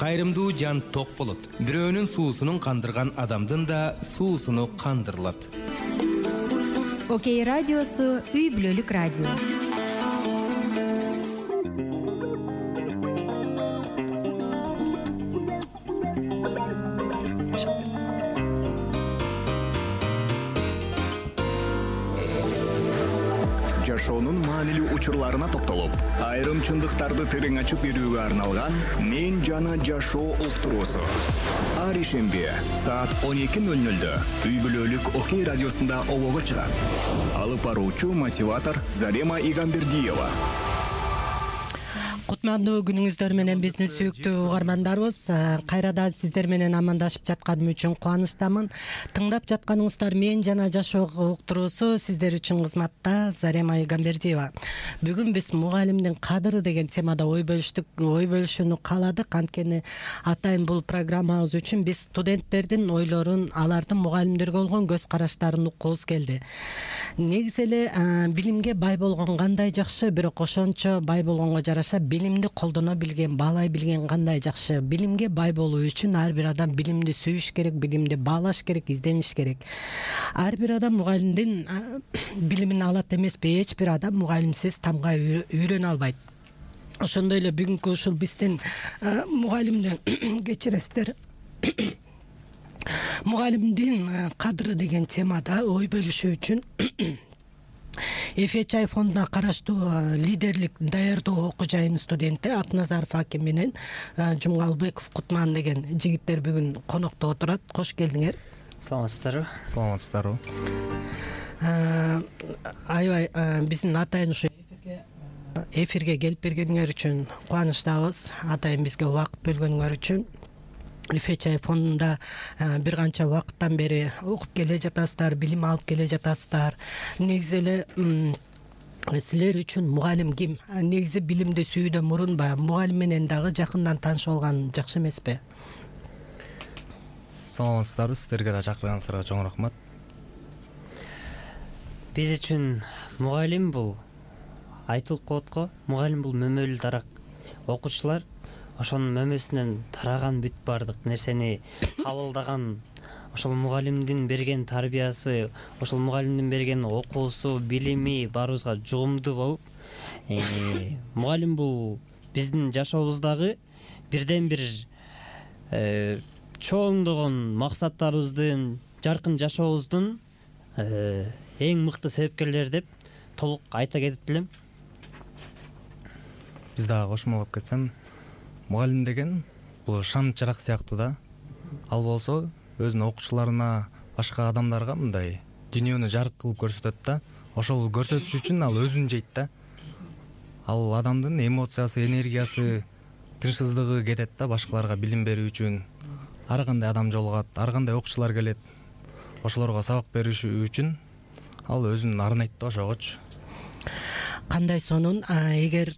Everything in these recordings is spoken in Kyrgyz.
кайрымдуу жан ток болот. Бирөөнүн суусунун кандырган адамдын да суусуну кандырылат. Окей радиосу үй бүлөлүк радио. Жашоонун маанилүү учурларына токтолуп, айрым чындыктарды терең ачып берүүгө арналган «Мен жана жашоо» уктуруусу. Ар ишемби саат 12:00 үй бүлөлүк Окей радиосунда обого чыгат. Алып баруучу мотиватор Зарема Игамбердиева. Кутмандуу күнүңүздөр менен биздин сүйүктүү угармандарыбыз. Кайрадан сиздер менен амандашып жатканым үчүн кубанычтамын. Тыңдап жатканыңыздар «Мен жана жашоо» уктуруусу сиздер үчүн кызматта Зарема Игамбердиева. Бүгүн биз мугалимдин кадыры деген темада ой бөлүшүүнү кааладык. Анткени атайын бул программабыз үчүн биз студенттердин ойлорун, алардын мугалимдерге болгон көз караштарын уккубуз келди. Негизи эле билимге бай болгон кандай жакшы, бирок ошончо бай болгонго жараша билимди колдоно билген, баалай билген кандай жакшы. Билимге бай болуу үчүн ар бир адам билимди сүйүш керек, билимди баалаш керек, издениш керек. Ар бир адам мугалимдин билимин алат эмеспи? Эч бир адам мугалимсиз тамга үйрөнө албайт. Ошондой эле бүгүнкү ушул биздин мугалимдин кечиресиздер мугалимдин кадыры деген темада ой бөлүшүү үчүн ФЧ фондуна караштуу лидерлик даярдоо окуу жайынын студенти Акназаров аким менен Жумгалбеков Кутман деген жигиттер бүгүн конокто отурат. Кош келдиңер. Саламатсыздарбы? Саламатсыздарбы. Аябай биздин атайын ушу эфирге келип бергениңер үчүн кубанычтабыз. Атайын бизге убакыт бөлгөнүңөр үчүн. ФЧ фондунда бир канча убакыттан бери окуп келе жатасыздар, билим алып келе жатасыздар. Негизи эле силер үчүн мугалим ким? Негизи билимди сүйүүдөн мурун мугалим менен дагы жакындан таанышып алган жакшы эмеспи? Саламатсыздарбы, сиздерге да чакырганыңыздарга чоң рахмат. Биз үчүн мугалим бул айтылып коет го, мугалим бул мөмөлүү дарак. Окуучулар ошонун мөмөсүнөн тараган бүт баардык нерсени кабылдаган, ошол мугалимдин берген тарбиясы, ошол мугалимдин берген окуусу, билими баарыбызга жугумдуу болуп, мугалим бул биздин жашообуздагы бирден бир чоңдогон максаттарыбыздын, жаркын жашообуздун эң мыкты себепкерлери деп толук айта кетет элем. Биз дагы кошумалап кетсем, мугалим деген бул шам чырак сыяктуу да. Ал болсо өзүнүн окуучуларына, башка адамдарга мындай дүйнөнү жарык кылып көрсөтөт да. Ошол көрсөтүш үчүн ал өзүн жейт да. Ал адамдын эмоциясы, энергиясы, тынчсыздыгы кетет да башкаларга билим берүү үчүн. Ар кандай адам жолугат, ар кандай окуучулар келет. Ошолорго сабак бериш үчүн ал өзүн арнайт да ошогочу. Кандай сонун эгер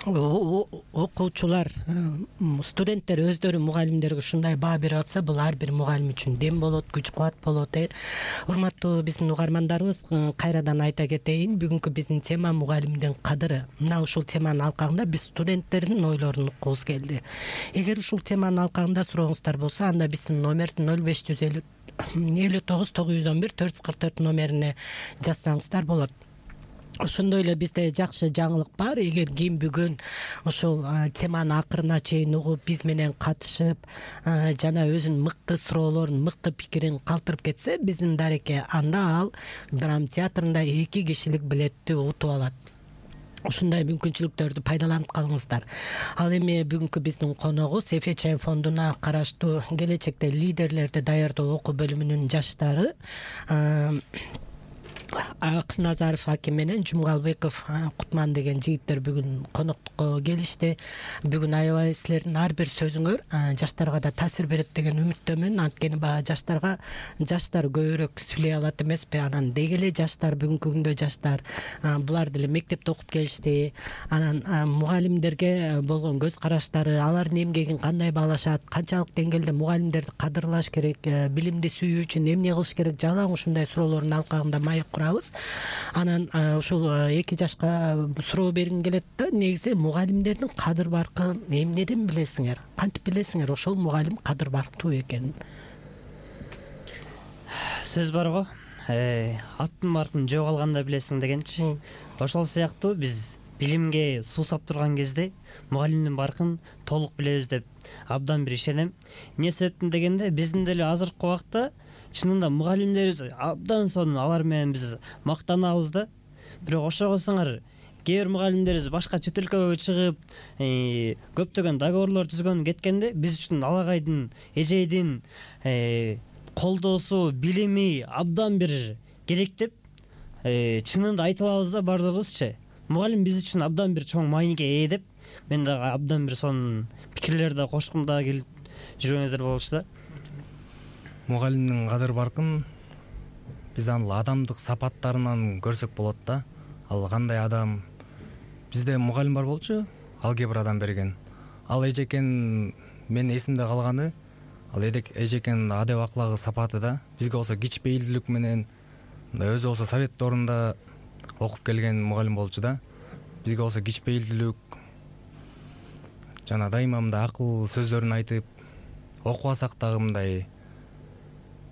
окуучулар, студенттер өздөрү мугалимдерге ушундай баа берип атса, бул ар бир мугалим үчүн дем болот, күч-кубат болот. Урматтуу биздин угармандарыбыз, кайрадан айта кетейин, бүгүнкү биздин тема мугалимдин кадыры. Мына ушул теманын алкагында биз студенттердин ойлорун уккубуз келди. Эгер ушул теманын алкагында сурооңуздар болсо, анда биздин номерди 0550 59 911 444 номерине жазсаңыздар болот. Ошондой эле бизде жакшы жаңылык бар. Эгер ким бүгүн ошол теманы акырына чейин угуп, биз менен катышып, жана өзүнүн мыкты суроолорун, мыкты пикирин калтырып кетсе, биздин дареке, анда ал драма театрында 2 кишилик билетти утуп алат. Ушундай мүмкүнчүлүктөрдү пайдаланып калыңыздар. Ал эми бүгүнкү биздин коногубуз ФЧ фондуна караштуу келечекте лидерлерди даярдоо окуу бөлүмүнүн жаштары Акназаров аким менен Жумгалбеков Кутман деген жигиттер бүгүн конокко келишти. Бүгүн аябай силердин ар бир сөзүңөр жаштарга да таасир берет деген үмүттөмүн. Анткени жаштар көбүрөөк сүйлөй алат эмеспи? Анан деги эле жаштар, бүгүнкү күндө жаштар булар деле мектепте окуп келишти. Анан мугалимдерге болгон көз караштары, алардын эмгегин кандай баалашат, канчалык деңгээлде мугалимдерди кадырлаш керек, билимди сүйүү үчүн эмне кылыш керек, жалаң ушундай суроолордун алкагында маек курабыз. Анан ушул 2 жашка суроо бергим келет да, негизи мугалимдердин кадыр баркын эмнеден билесиңер? Кантип билесиңер ошол мугалим кадыр барктуу экенин? Сөз бар го, аттын баркын жөө калганда билесиң дегенчи. Ошол сыяктуу биз билимге суусап турган кезде мугалимдин баркын толук билебиз деп абдан бир ишенем. Эмне себептен дегенде, биздин деле азыркы убакта чынында мугалимдерибиз абдан сонун, алар менен биз мактанабыз да. Бирок ошогосуңар кээ бир мугалимдерибиз башка чет өлкөгө чыгып, көптөгөн договорлор түзгөн кеткенде, биз үчүн алагайдын, эжейдин колдоосу, билими абдан бир керек деп чынында айта алабыз да бардыгыбызчы. Мугалим биз үчүн абдан бир чоң мааниге ээ деп, мен дагы абдан бир сонун пикирлерди кошкум да келип жүргөңүздөр болчу да. Мугалимдин кадыр баркын биз аны адамдык сапаттарынан көрсөк болот да. Ал кандай адам? Бизде мугалим бар болчу, алгебрадан берген. Ал эжекен, мен эсимде калганы, ал эжекенин адеп аклагы, сапаты да. Бизге болсо кичпейилдүүлүк менен, өзү болсо совет доорунда окуп келген мугалим болчу да. Бизге болсо кичпейилдүүлүк, жана дайыма мындай акыл сөздөрүн айтып, окубасак дагы мындай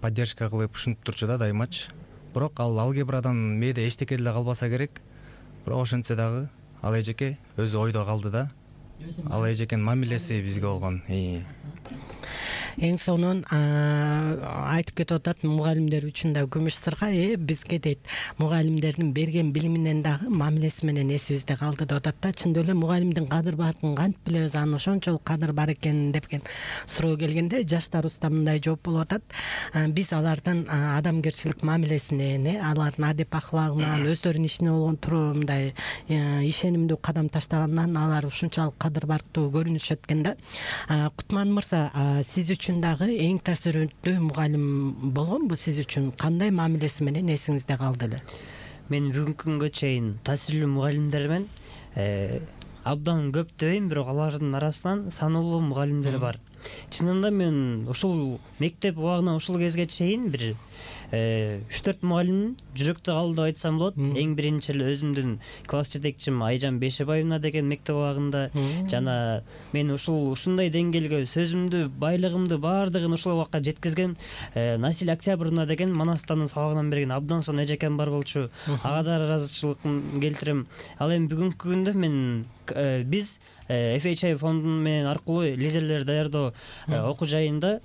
поддержка кылып ушинтип турчу да дайымачы. Бирок ал алгебрадан мээде эчтеке деле калбаса керек. Бирок ошентсе дагы ал эжеке өзү ойдо калды да. Ал эжекенин мамилеси бизге болгон. Эң сонун айтып кетип атат, мугалимдер үчүн да күмүш сырга, бизге дейт мугалимдердин берген билиминен дагы мамилеси менен эсибизде калды деп атат да. Чындап эле мугалимдин кадыр баркын кантип билебиз, анын ошончолук кадыр бар экенин депкен суроо келгенде, жаштарыбызда мындай жооп болуп атат. Биз алардын адамгерчилик мамилесинен, алардын адеп аклагынан, өздөрүнүн ишине болгон мындай ишенимдүү кадам таштагандан алар ушунчалык кадыр барктуу көрүнүшөт экен да. Кутман мырза, сиз үчүн дагы эң таасирттүү мугалим болгонбу? Сиз үчүн кандай мамилеси менен эсиңизде калды эле? Мен бүгүнкү күнгө чейин таасирлүү мугалимдер менен абдан көп дебейм, бирок алардын арасынан саналуу мугалимдер бар. Чынында мен ушул мектеп убагынан ушул кезге чейин бир 3-4 мугалим жүрөктө калды деп айтсам болот. Эң биринчи эле өзүмдүн класс жетекчим Айжан Бешебаевна деген мектеп убагында, жана мен ушундай деңгээлге сөзүмдү, байлыгымды баардыгын ушул убакка жеткизген Насил Октябрьевна деген Манастанын сабагынан берген абдан сонун эжекем бар болчу. Ага да ыраазычылыгымды келтирем. Ал эми бүгүнкү күндө мен биз FHI фондунун менен аркылуу лидерлер даярдоо окуу жайында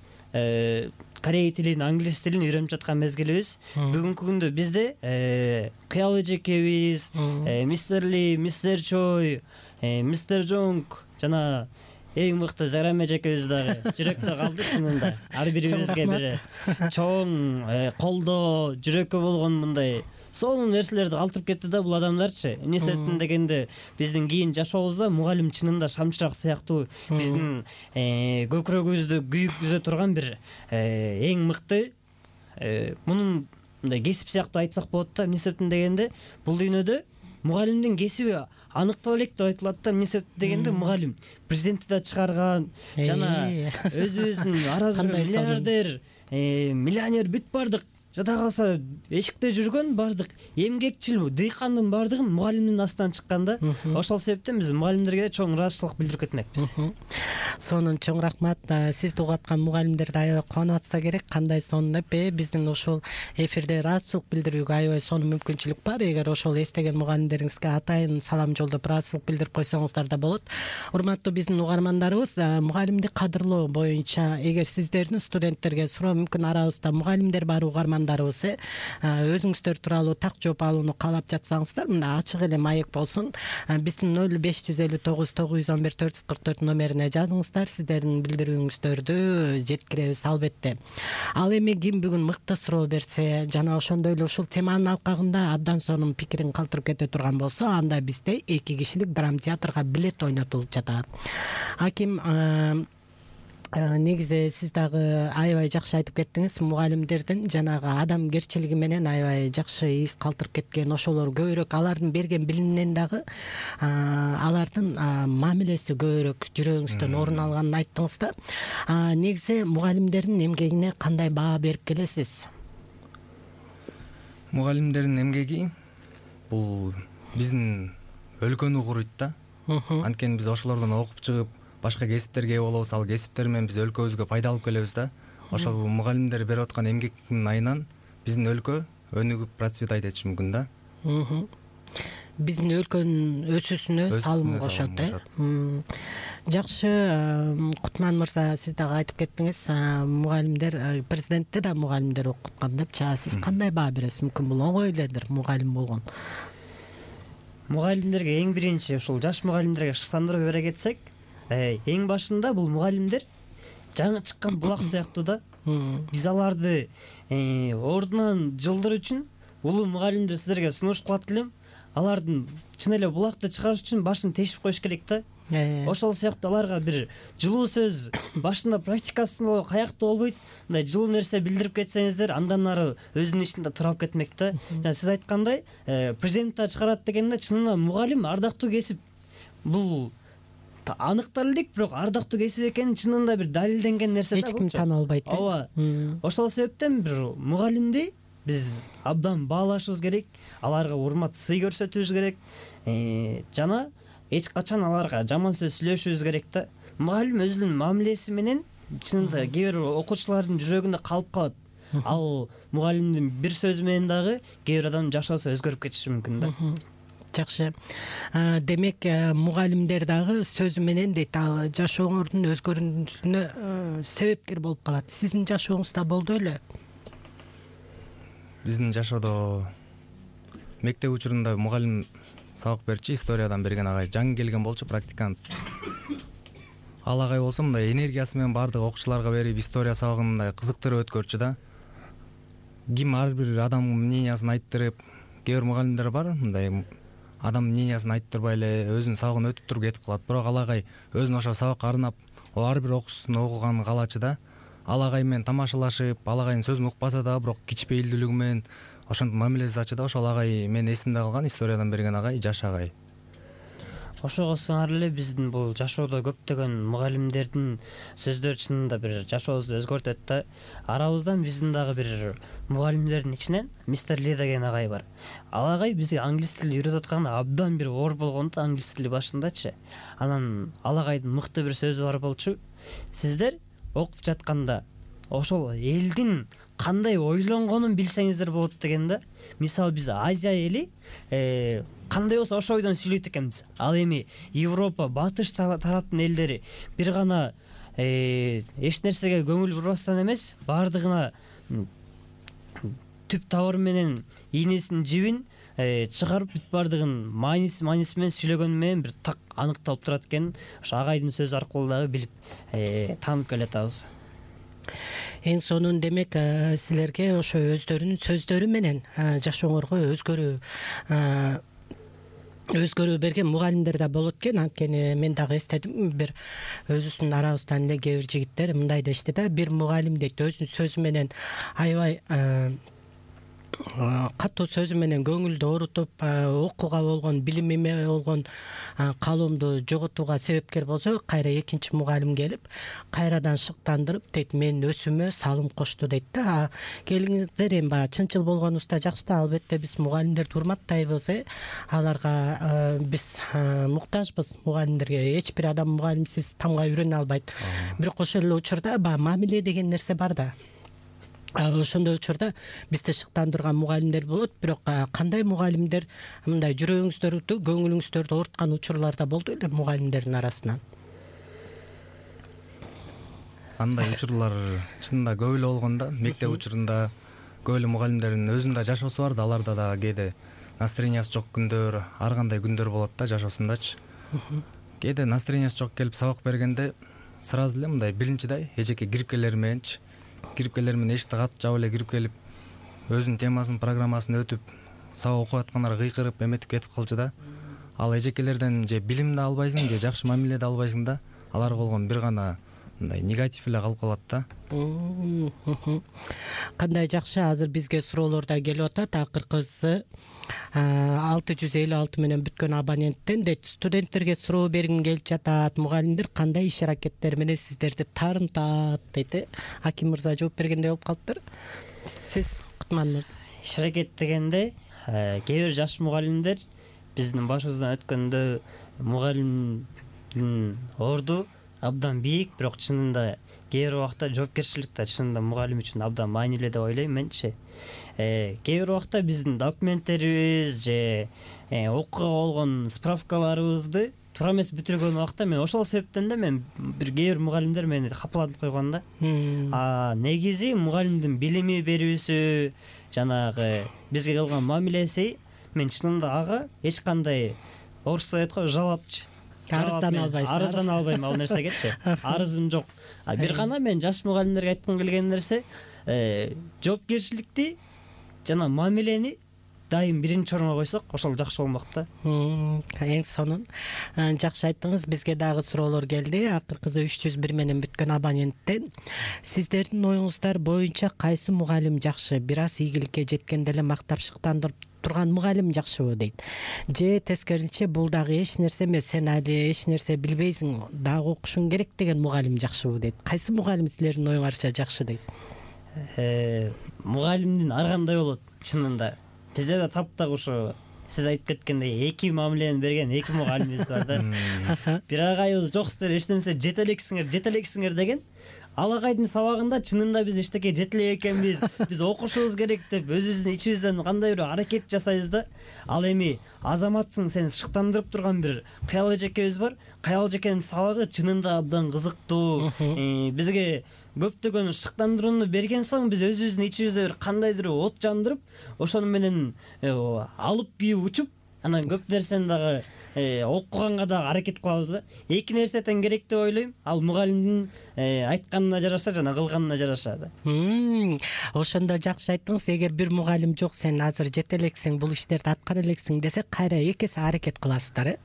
корей тилин, англис тилин үйрөнүп жаткан мезгилибиз. Бүгүнкү күндө бизде Кыял эжекебиз, Мистер Ли, Мистер Чой, Мистер Жонг жана эң мыкты Зарам эжекебиз дагы жүрөктө калды чынында. Ар бирибизге бир чоң колдоо, жүрөккө болгон мындай сонун нерселерди калтырып кетти да бул адамдарчы. Эмне себептен дегенде, биздин кийин жашообузда мугалим чынында шамчырак сыяктуу биздин көкүрөгүбүздү күйгүзө турган бир эң мыкты мунун мындай кесип сыяктуу айтсак болот да. Эмне себептен дегенде, бул дүйнөдө мугалимдин кесиби аныктала элек деп айтылат да. Эмне себептен дегенде, мугалим президентти да чыгарган, жана өзүбүздүн аразы миллиардер, миллионер бүт бардык жада калса эшикте жүргөн бардык эмгекчил дыйкандын бардыгын мугалимдин астынан чыккан да. Ошол себептен биз мугалимдерге чоң ыраазычылык билдирип кетмекпиз. Сонун, чоң рахмат. Сизди угаткан мугалимдерди аябай кубанып атса керек. Кандай сонун деп, биздин ушул эфирде ыраазычылык билдирүүгө аябай сонун мүмкүнчүлүк бар. Эгер ошол эстеген мугалимдериңизге атайын салам жолдоп ыраазычылык билдирип койсоңуздар да болот. Урматтуу биздин угармандарыбыз, мугалимди кадырлоо боюнча эгер сиздердин студенттерге суроо мүмкүн арабызда мугалимдер бар угармандарыбыз, өзүңүздөр тууралуу так жооп алууну каалап жатсаңыздар, мына ачык эле маек болсун. Биздин 0559 911 444 номерине жазыңыздар, сиздердин билдирүүңүздөрдү жеткиребиз албетте. Ал эми ким бүгүн мыкты суроо берсе жана ошондой эле ушул теманын алкагында абдан сонун пикирин калтырып кете турган болсо, анда бизде 2 кишилик драма театрга билет ойнотулуп жатат. Аким, негизи сиз дагы аябай жакшы айтып кеттиңиз. Мугалимдердин жанагы адамгерчилиги менен аябай жакшы из калтырып кеткен. Ошолор көбүрөөк алардын берген билиминен дагы алардын мамилеси көбүрөөк жүрөгүңүздөн орун алганын айттыңыз да. Негизи мугалимдердин эмгегине кандай баа берип келесиз? Мугалимдердин эмгеги бул биздин өлкөнү куруйт да. Анткени биз ошолордон окуп чыгып башка кесиптерге ээ болобуз, ал кесиптер менен биз өлкөбүзгө пайда алып келебиз да. Ошол мугалимдер берип аткан эмгектин айынан биздин өлкө өнүгүп процветать этиши мүмкүн да. Биздин өлкөнүн өсүүсүнө салым кошот Жакшы, Кутман мырза, сиз дагы айтып кеттиңиз, мугалимдер, президентти да мугалимдер окуткан депчи. Сиз кандай баа бересиз? Мүмкүн бул оңой эледир мугалим болгон. Мугалимдерге эң биринчи ушул жаш мугалимдерге шыктандыруу бере кетсек, эң башында бул мугалимдер жаңы чыккан булак сыяктуу да. Биз аларды ордунан жылдыр үчүн улуу мугалимдер сиздерге сунуш кылат элем. Алардын чын эле булакты чыгарыш үчүн башын тешип коюш керек да. Ошол сыяктуу аларга бир жылуу сөз башында практикасы каякта болбойт. Мындай жылуу нерсе билдирип кетсеңиздер, андан ары өзүнүн ишинде туруп кетмек да. Жана сиз айткандай, президент чыгарат дегенде чынында мугалим ардактуу кесип. Бул аныктал элек, бирок ардактуу кесип экени чынында бир далилденген нерсе да. Эч ким тана албайт. Ооба. Ошол себептен бир мугалимди биз абдан баалашыбыз керек, аларга урмат, сый көрсөтүбүз керек. Жана эч качан аларга жаман сөз сүйлөшүбүз керек да. Мугалим өзүнүн мамилеси менен чынында кээ бир окуучулардын жүрөгүндө калып калат. Ал мугалимдин бир сөзү менен дагы кээ бир адамдын жашоосу өзгөрүп кетиши мүмкүн да. Жакшы. Демек, мугалимдер дагы сөзү менен дейт, ал жашооңордун өзгөрүүсүнө себепкер болуп калат. Сиздин жашооңузда болду эле? Биздин жашоодо мектеп учурунда мугалим сабак берчи, историядан берген агай жаңы келген болчу, практикант. Ал агай болсо мындай энергиясы менен баардык окуучуларга берип, история сабагын мындай кызыктырып өткөрчү да. Ким ар бир адамдын мнениясын айттырып, кээ бир мугалимдер бар, мындай адам мнениясын айттырбай эле өзүнүн сабагын өтүп туруп кетип калат. Бирок ал агай өзүн ошо сабакка арнап, ар бир окуучусун окуганын каалачы да. Ал агай менен тамашалашып, ал агайдын сөзүн укпаса да, бирок кичпейилдүүлүгү менен ошентип мамилеси да. Ошол агай менин эсимде калган, историядан берген агай, жаш агай. Ошого сыңар эле биздин бул жашоодо көптөгөн мугалимдердин сөздөрү чынында бир жашообузду өзгөртөт да. Арабыздан биздин дагы бир мугалимдердин ичинен мистер Ли деген агай бар. Ал агай бизге англис тилин үйрөтүп атканда абдан бир оор болгон да, англис тили башындачы. Анан ал агайдын мыкты бир сөзү бар болчу. Сиздер окуп жатканда ошол элдин кандай ойлонгонун билсеңиздер болот деген да. Мисалы биз Азия эли кандай болсо ошол ойдон сүйлөйт экенбиз. Ал эми Европа, батыш тараптын элдери бир гана эч нерсеге көңүл бурбастан эмес, баардыгына түп табыр менен ийнесинин жибин чыгарып бүт баардыгын мааниси менен сүйлөгөнү менен бир так аныкталып турат экен. Ошо агайдын сөзү аркылуу дагы билип таанып келатабыз. Эң сонун демек силерге ошо өздөрүнүн сөздөрү менен жашооңорго өзгөрүү берген мугалимдер да болот экен. Анткени мен дагы эстедим, бир өзүбүздүн арабыздан эле кээ бир жигиттер мындай дешти да, бир мугалим дейт өзүнүн сөзү менен аябай катуу сөзү менен көңүлдү оорутуп, окууга болгон, билимиме болгон каалоомду жоготууга себепкер болсо, кайра экинчи мугалим келип, кайрадан шыктандырып дейт, менин өсүүмө салым кошту дейт да. Келиңиздер, эми баягы чынчыл болгонубузда жакшы да, албетте биз мугалимдерди урматтайбыз, аларга биз муктажбыз мугалимдерге. Эч бир адам мугалимсиз тамга үйрөнө албайт. Бирок ошол эле учурда баягы мамиле деген нерсе бар да. Ошондой учурда бизди шыктандырган мугалимдер болот, бирок кандай мугалимдер мындай жүрөгүңүздөрдү, көңүлүңүздөрдү ооруткан учурлар да болду эле мугалимдердин арасынан? Андай учурлар чынында көп эле болгон да. Мектеп учурунда көп эле мугалимдердин өзүнүн да жашоосу бар да, аларда да кээде настроениясы жок күндөр, ар кандай күндөр болот да жашоосундачы. Кээде настроениясы жок келип сабак бергенде сразу эле мындай биринчидай эжеке кирипкелер менен эшикти катып жаап эле кирип келип, өзүнүн темасын, программасын өтүп, сабак окуп аткандар кыйкырып эметип кетип калчу да. Ал эжекелерден же билим да албайсың, же жакшы мамиле да албайсың да. Аларга болгон бир гана мындай негатив эле калып калат да. Кандай жакшы, азыр бизге суроолор да келип атат. Акыркысы 656 менен бүткөн абоненттен дейт, студенттерге суроо бергим келип жатат, мугалимдер кандай иш аракеттер менен сиздерди таарынтат дейт. Аким мырза жооп бергендей болуп калыптыр. Сиз, Кутман мырза. иш аракет дегенде кээ бир жаш мугалимдер биздин башыбыздан өткөндө мугалимдин орду абдан бийик, бирок чынында кээ бир убакта жоопкерчилик да чынында мугалим үчүн абдан маанилүү деп ойлойм менчи. Кээ бир убакта биздин документтерибиз же окууга болгон справкаларыбызды туура эмес бүтүргөн убакта мен ошол себептен да мен кээ бир мугалимдер мени капаланып койгон да. Негизи мугалимдин билими берүүсү, жанагы бизге кылган мамилеси, мен чынында ага эч кандай орусча айтат го жалапчы. Арыздан албайм ал нерсегечи. Арызым жок. Бир гана мен жаш мугалимдерге айткым келген нерсе, жоопкерчиликти жана мамилени дайым биринчи орунга койсок, ошол жакшы болмок да. Эң сонун. Жакшы айттыңыз. Бизге дагы суроолор келди. Акыркысы 301 менен бүткөн абоненттен. Сиздердин оюңуздар боюнча кайсы мугалим жакшы? Бир аз ийгиликке жеткенде эле мактап шыктандырып турган мугалим жакшыбы дейт. Же тескерисинче бул дагы эч нерсе эмес, сен али эч нерсе билбейсиң, дагы окушуң керек деген мугалим жакшыбы дейт. Кайсы мугалим силердин оюңарча жакшы дейт? Мугалимдин ар кандай болот чынында. Бизде да таптак ушу сиз айтып кеткендей эки мамилени берген эки мугалимибиз бар да. Бир агайыбыз жок силер эчтемесе жете элексиңер деген. Ал агайдын сабагында чынында биз эчтеке жете элек экенбиз, биз окушубуз керек деп өзүбүздүн ичибизден кандай бир аракет жасайбыз да. Ал эми азаматсың, сени шыктандырып турган бир Кыял эжекебиз бар. Кыял эжекенин сабагы чынында абдан кызыктуу. Бизге көптөгөн шыктандырууну берген соң биз өзүбүздүн ичибизде бир кандайдыр от жандырып, ошону менен алып күйүп учуп, анан көп нерсени дагы окуганга дагы аракет кылабыз да. Эки нерсе тең керек деп ойлойм. Ал мугалимдин айтканына жараша жана кылганына жараша да. Ошондо жакшы айттыңыз. Эгер бир мугалим жок, сен азыр жете элексиң, бул иштерди аткара элексиң десе, кайра экесе аракет кыласыздар,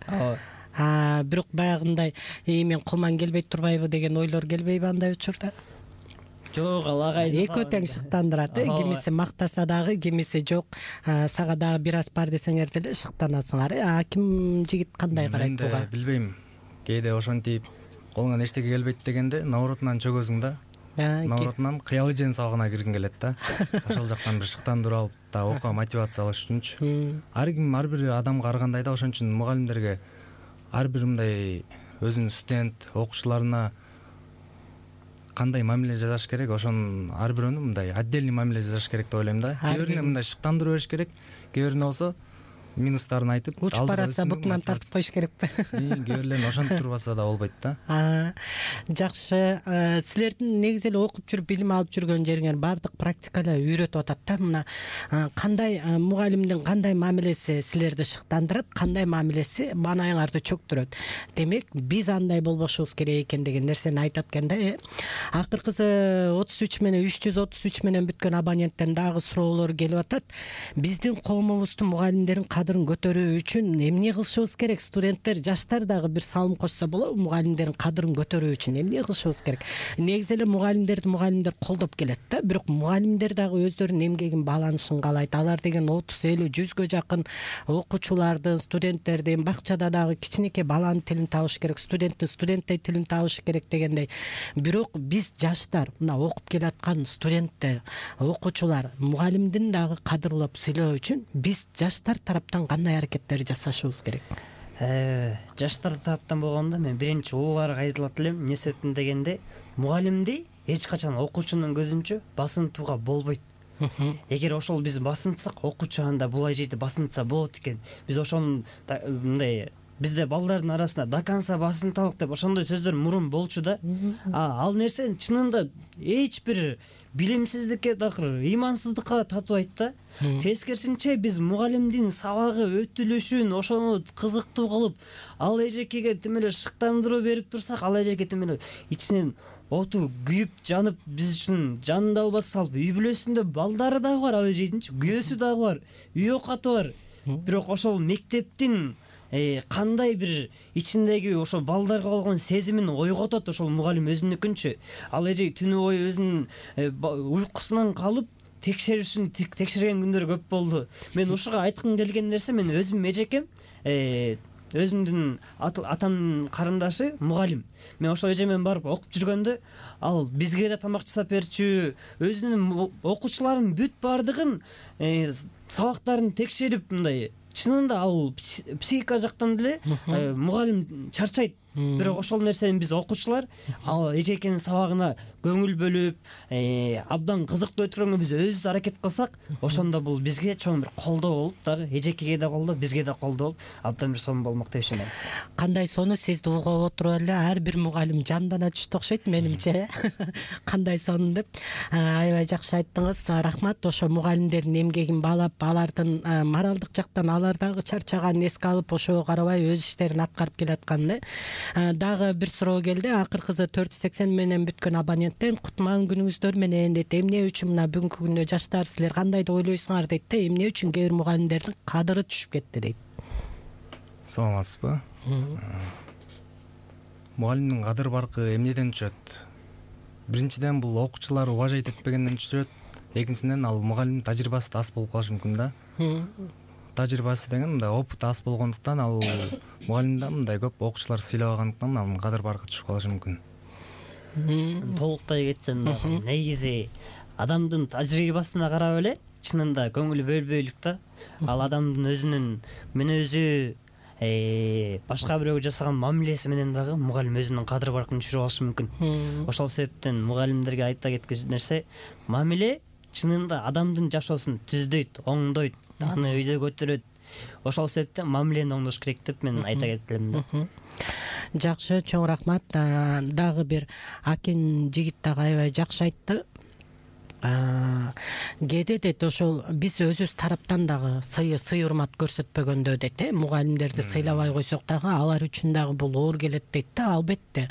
бирок баягындай мен колман келбей турбайбы деген ойлор келбейби андай учурда? Жок, ал агай экөө тең шыктандырат. Кимиси мактаса дагы, кимиси жок, сага дагы бир аз бар десеңер деле шыктанасыңар. Ким жигит кандай карайт буга? Мен билбейм. Кээде ошентип колуңан эчтеке келбейт дегенде науротунан чөгөсүң да. Науротунан Кыял эженин сабагына киргиң келет да. Ошол жактан бир шыктандырып алып да окууга мотивация алыш үчүнчү. Ар ким ар бир адамга ар кандай да. Ошон үчүн мугалимдерге ар бир мындай өзүнүн студент окуучуларына кандай мамиле жасаш керек, ошонун ар бирөөнү мындай отдельный мамиле жасаш керек деп ойлойм да. Кээ бирине мындай шыктандырып бериш керек, кээ бирине болсо минустарын айтып, учуп баратса бутунан тартып коюш керекпи? Кээ бирлерин ошентип турбаса да болбойт да. Жакшы. Силердин негизи эле окуп жүрүп билим алып жүргөн жериңер баардык практика эле үйрөтүп атат да. Мына кандай мугалимдин кандай мамилеси силерди шыктандырат, кандай мамилеси маанайыңарды чөктүрөт. Демек, биз андай болбошубуз керек экен деген нерсени айтат экен да. Акыркысы 33 менен 333 менен бүткөн абоненттен дагы суроолор келип атат. Биздин коомубуздун мугалимдерин кадырын көтөрүү үчүн эмне кылышыбыз керек? Студенттер, жаштар дагы бир салым кошсо болобу? Мугалимдердин кадырын көтөрүү үчүн эмне кылышыбыз керек? Негизи эле мугалимдер колдоп келет да, бирок мугалимдер дагы өздөрүнүн эмгегин бааланышын каалайт. Алар деген 30, 50, 100гө жакын окуучулардын, студенттердин бакчада дагы кичинекей баланын тилин табыш керек, студенттей тилин табыш керек дегендей. Бирок биз жаштар, мына окуп келаткан студенттер, окуучулар мугалимдин дагы кадырлап сүйлөө үчүн биз жаштар тараптан кандай аракеттер жасашыбыз керек? Жаштар тараптан болгондо мен биринчи улууларга айтылат элем. Эмне себептен дегенде, мугалимди эч качан окуучунун көзүнчө басынтууга болбойт. Эгер ошол биз басынтсак, окуучу анда булай жейди басынтса болот экен. Биз ошону мындай бизде балдардын арасында до конца басынталык деп ошондой сөздөр мурун болчу да. Ал нерсени чынында эч бир билимсиздикке, ыймансыздыкка татыбайт да. Тескерисинче биз мугалимдин сабагы өтүлүшүн ошону кызыктуу кылып, ал эжекеге тим эле шыктандыруу берип турсак, ал эжеке тим эле ичинен оту күйүп жанып, биз үчүн жанын албас салып, үй бүлөсүндө балдары дагы бар, ал эжекинчи күйөөсү дагы бар, үй окаты бар. Бирок ошол мектептин кандай бир ичиндеги ошо балдарга болгон сезимин ойготот ошол мугалим өзүнүкүнчү. Ал эже түнү бою өзүнүн уйкусунан калып текшерген күндөр көп болду. Мен ушуга айткым келген нерсе, мен өзүм эжекем өзүмдүн атамдын карындашы мугалим. Мен ошол эже менен барып окуп жүргөндө ал бизге да тамак жасап берчү, өзүнүн окуучуларынын бүт баардыгын сабактарын текшерип мындай. Чынында ал психика жактан деле мугалим чарчайт. Бирок ошол нерсени биз окуучулар ал эжекенин сабагына көңүл бөлүп, абдан кызыктуу өткөргөнгө биз өзүбүз аракет кылсак, ошондо бул бизге чоң бир колдоо болуп, дагы эжекеге да колдоо, бизге да колдоо болуп, абдан бир сонун болмок деп ишенем. Кандай сонун, сизди угуп отуруп эле ар бир мугалим жандана түштү окшойт менимче. Кандай сонун деп. Аябай жакшы айттыңыз. Рахмат. Ошо мугалимдердин эмгегин баалап, алардын моралдык жактан алар дагы чарчаганын эске алып, ошого карабай өз иштерин аткарып келатканын. Дагы бир суроо келди. Акыркысы 480 менен бүткөн абоненттен кутман күнүңүздөр менен дейт. Эмне үчүн мына бүгүнкү күндө жаштар силер кандай деп ойлойсуңар дейт да. Эмне үчүн кээ бир мугалимдердин кадыры түшүп кетти дейт. Саламатсызбы? Мугалимдин кадыр баркы эмнеден түшөт? Биринчиден бул окуучулар уважайт этпегенден түшөт. Экинчиден ал мугалимдин тажрыйбасы аз болуп калышы мүмкүн да. Тажрыйбасы деген мындай опыты аз болгондуктан ал мугалимде мындай көп окуучулар сыйлабагандыктан ал кадыр баркы түшүп калышы мүмкүн. Толуктай кетсем дагы негизи адамдын тажрыйбасына карап эле чынында көңүл бөлбөйлүк да. Ал адамдын өзүнүн мүнөзү, башка бирөөгө жасаган мамилеси менен дагы мугалим өзүнүн кадыр баркын түшүрүп алышы мүмкүн. Ошол себептен мугалимдерге айта кеткен нерсе, мамиле чынында адамдын жашоосун түздөйт, оңдойт, аны өйдө көтөрөт. Ошол себептен мамилени оңдош керек деп мен айта кеткелем да. Жакшы, чоң рахмат. Дагы бир Акен жигит дагы аябай жакшы айтты. Кээде дейт ошол биз өзүбүз тараптан дагы сый урмат көрсөтпөгөндө дейт, мугалимдерди сыйлабай койсок дагы алар үчүн дагы бул оор келет дейт да. Албетте.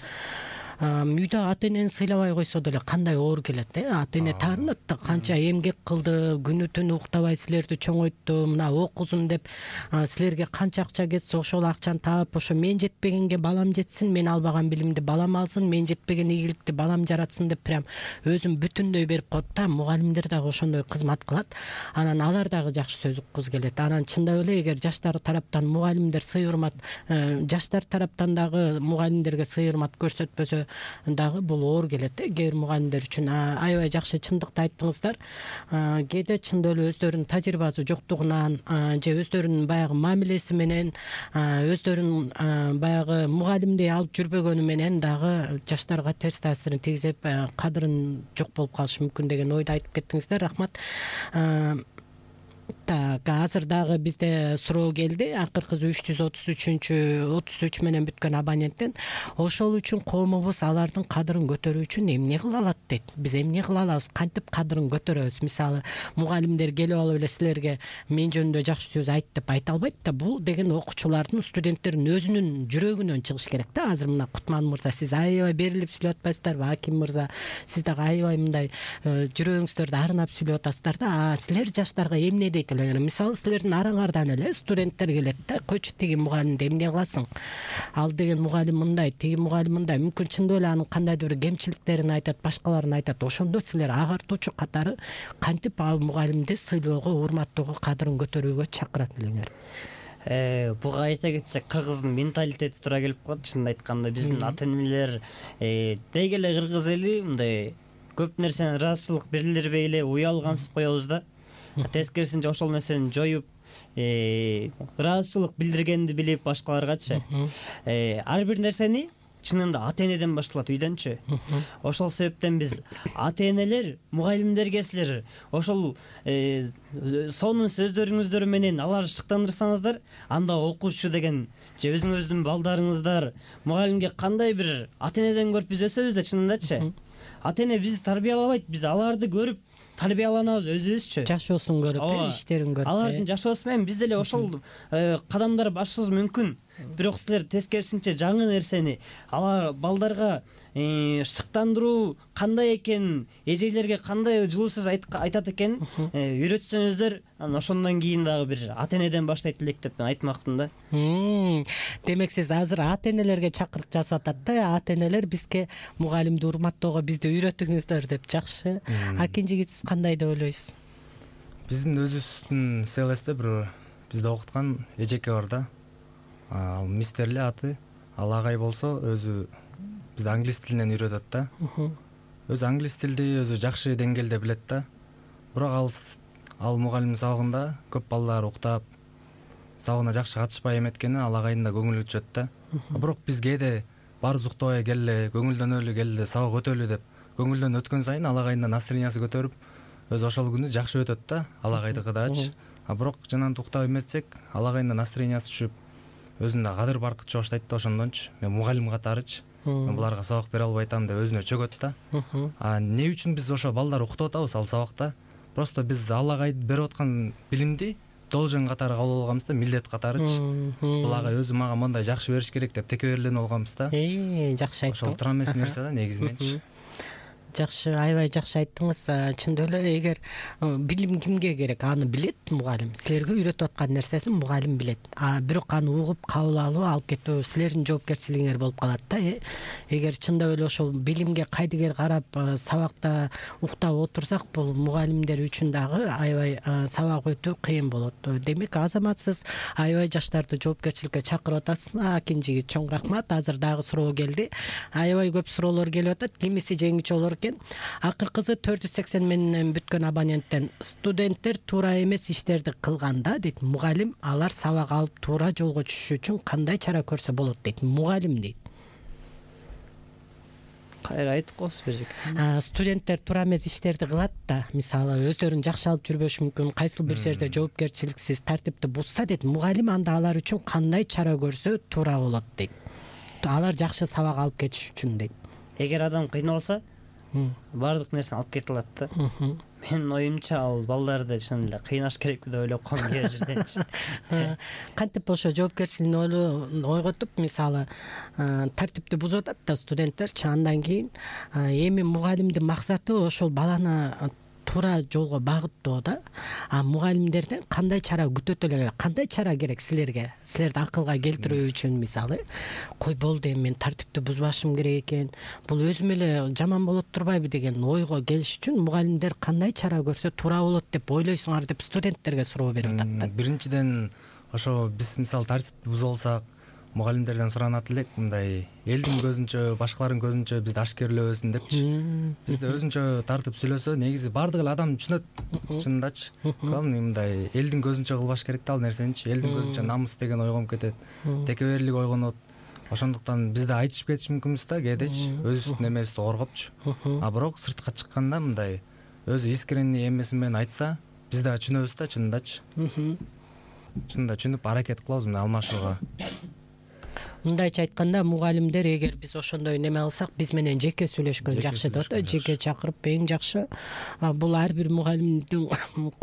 Үйдө ата энени сыйлабай койсо деле кандай оор келет, ата эне таарынат да, канча эмгек кылды, күнү түнү уктабай силерди чоңойтту, мына окузун деп силерге канча акча кетсе ошол акчаны таап, ошо мен жетпегенге балам жетсин, мен албаган билимди балам алсын, мен жетпеген ийгиликти балам жаратсын деп прям өзүн бүтүндөй берип коет да. Мугалимдер дагы ошондой кызмат кылат. Анан алар дагы жакшы сөз уккузу келет. Анан чындап эле эгер жаштар тараптан мугалимдер сый урмат, жаштар тараптан дагы мугалимдерге сый урмат көрсөтпөсө дагы бул оор келет кээ бир мугалимдер үчүн. Аябай жакшы, чындыкты айттыңыздар. Кээде чындап эле өздөрүнүн тажрыйбасы жоктугунан же өздөрүнүн баягы мамилеси менен, өздөрүнүн баягы мугалимдей алып жүрбөгөнү менен дагы жаштарга терс таасирин тийгизип, кадырын жок болуп калышы мүмкүн деген ойду айтып кеттиңиздер. Рахмат. Так, азыр дагы бизде суроо келди. Акыркы 333 менен бүткөн абоненттен ошол үчүн коомубуз алардын кадырын көтөрүү үчүн эмне кыла алат дейт. Биз эмне кыла алабыз, кантип кадырын көтөрөбүз? Мисалы, мугалимдер келип алып эле силерге мен жөнүндө жакшы сөз айт деп айта албайт да. Бул деген окуучулардын, студенттердин өзүнүн жүрөгүнөн чыгыш керек да. Азыр мына Кутман мырза, сиз аябай берилип сүйлөп атпайсыздарбы? Аким мырза, сиз дагы аябай мындай жүрөгүңүздөрдү арнап сүйлөп атасыздар да. Силер жаштарга эмне дейт эле? Мисалы, силердин араңардан эле студенттер келет да, койчу тиги мугалимди эмне кыласың? Ал деген мугалим мындай, тиги мугалим мындай. Мүмкүн чындап эле анын кандайдыр бир кемчиликтерин айтат, башкаларын айтат. Ошондо силер агартуучу катары кантип ал мугалимди сыйлоого, урматтоого, кадырын көтөрүүгө чакырат элеңер? Буга айта кетсек, кыргыздын менталитети туура келип калат. Чынын айтканда биздин ата-энелер деги эле кыргыз эли мындай көп нерсени ыраазычылык билдирбей эле уялгансып коебуз да. Тескерисинче ошол нерсени жоюп, ыраазычылык билдиргенди билип башкаларгачы. Ар бир нерсени чынында ата-энеден башталат, үйдөнчү. Ошол себептен биз ата-энелер мугалимдерге силер ошол сонун сөздөрүңүздөр менен аларды шыктандырсаңыздар, анда окуучу деген же өзүңүздүн балдарыңыздар мугалимге кандай бир ата-энеден көрүп биз өсөбүз да, чынындачы. Ата-эне бизди тарбиялабайт, биз аларды көрүп тарбияланабыз өзүбүзчү. Жашоосун көрүп, иштерин көрүп. Алардын жашоосу менен биз деле ошол кадамдар басышыбыз мүмкүн. Бирок силер тескерисинче жаңы нерсени алар балдарга шыктандыруу кандай экенин, эжелерге кандай жылуу сөз айтат экенин үйрөтсөңүздөр, анан ошондон кийин дагы бир ата-энеден баштайт элек деп мен айтмакмын да. Демек сиз азыр ата-энелерге чакырык жасап атат да. Ата-энелер бизге мугалимди урматтоого бизди үйрөтүңүздөр деп. Жакшы. Акин жигит, сиз кандай деп ойлойсуз? Биздин өзүбүздүн селесте бир бизди окуткан эжеке бар да. ал мистер эле аты. Ал агай болсо өзү бизди англис тилинен үйрөтөт да. Өзү англис тилди өзү жакшы деңгээлде билет да. Бирок ал мугалим сабагында көп балдар уктап, сабагына жакшы катышпай эметкени ал агайдын да көңүлү түшөт да. Бирок биз кээде баарыбыз уктабай келе, көңүлдөнөлү келе, сабак өтөлү деп көңүлдөн өткөн сайын ал агайдын да настроениясы көтөрүп, өзү ошол күнү жакшы өтөт да, ал агайдыкы дачы. Бирок жанагынтип уктап эметсек, ал агайдын да настроениясы түшүп, өзүн да кадыр баркытчу баштайт да. Ошондончу мен мугалим катарычы мен буларга сабак бере албай атам деп өзүнө чөгөт да. Эмне үчүн биз ошо балдар уктап атабыз ал сабакта? Просто биз ал агай берип аткан билимди должен катары кабыл алганбыз да, милдет катарычы. Бул агай өзү мага мындай жакшы бериш керек деп текеберленип алганбыз да. Жакшы айттыңыз. Ошол туура эмес нерсе да негизиненчи. Жакшы, аябай жакшы айттыңыз. Чындап эле эгер билим кимге керек, аны билет мугалим. Силерге үйрөтүп аткан нерсесин мугалим билет. Бирок аны угуп кабыл алуу, алып кетүү силердин жоопкерчилигиңер болуп калат да. Эгер чындап эле ошол билимге кайдыгер карап сабакта уктап отурсак, бул мугалимдер үчүн дагы аябай сабак өтүү кыйын болот. Демек, азаматсыз аябай жаштарды жоопкерчиликке чакырып атасыз. Акинжиге чоң рахмат. Азыр дагы суроо келди. Аябай көп суроолор келип атат. Кимиси жеңүүчү болор? Акыркысы 480 менен бүткөн абоненттен студенттер туура эмес иштерди кылганда дейт мугалим, алар сабак алып туура жолго түшүш үчүн кандай чара көрсө болот дейт мугалим дейт. Кайра айтып коесуз бежек. Студенттер туура эмес иштерди кылат да, мисалы өздөрүн жакшы алып жүрбөшү мүмкүн, кайсыл бир жерде жоопкерчиликсиз тартипти бузса дейт мугалим, анда алар үчүн кандай чара көрсө туура болот дейт. Алар жакшы сабак алып кетиш үчүн дейт. Эгер адам кыйналса баардык нерсени алып кете алат да. Менин оюмча ал балдарды чын эле кыйнаш керек деп ойлоп калам кээ жерденчи. Кантип ошо жоопкерчилигин ойготуп, мисалы тартипти бузуп атат да студенттерчи, андан кийин эми мугалимдин максаты ошол баланы туура жолго багыттоо да. Мугалимдерден кандай чара күтөт эле, кандай чара керек силерге? Силерди акылга келтирүү үчүн, мисалы, кой болду эми мен тартипти бузбашым керек экен, бул өзүм эле жаман болот турбайбы деген ойго келиш үчүн мугалимдер кандай чара көрсө туура болот деп ойлойсуңар деп студенттерге суроо берип атат да. Биринчиден ошо биз мисалы тартипти бузуп алсак, мугалимдерден суранат элек, мындай элдин көзүнчө, башкалардын көзүнчө бизди ашкерлебесин депчи. Бизди өзүнчө тартып сүйлөсө, негизи баардык эле адам түшүнөт, чындачы. Главный мындай элдин көзүнчө кылбаш керек да ал нерсеничи. Элдин көзүнчө намыс деген ойгонуп кетет, текеберлик ойгонот. Ошондуктан биз да айтышып кетиш мүмкүнбүз да кээдечи, өзүбүздүн эмебизди коргопчу. Бирок сыртка чыкканда мындай өзү искренний эмеси менен айтса, биз да түшүнөбүз да чындачы. Чында түшүнүп аракет кылабыз мына алмашууга. Мындайча айтканда, мугалимдер эгер биз ошондой неме кылсак, биз менен жеке сүйлөшкөн жакшы да, жеке чакырып эң жакшы. Бул ар бир мугалимдин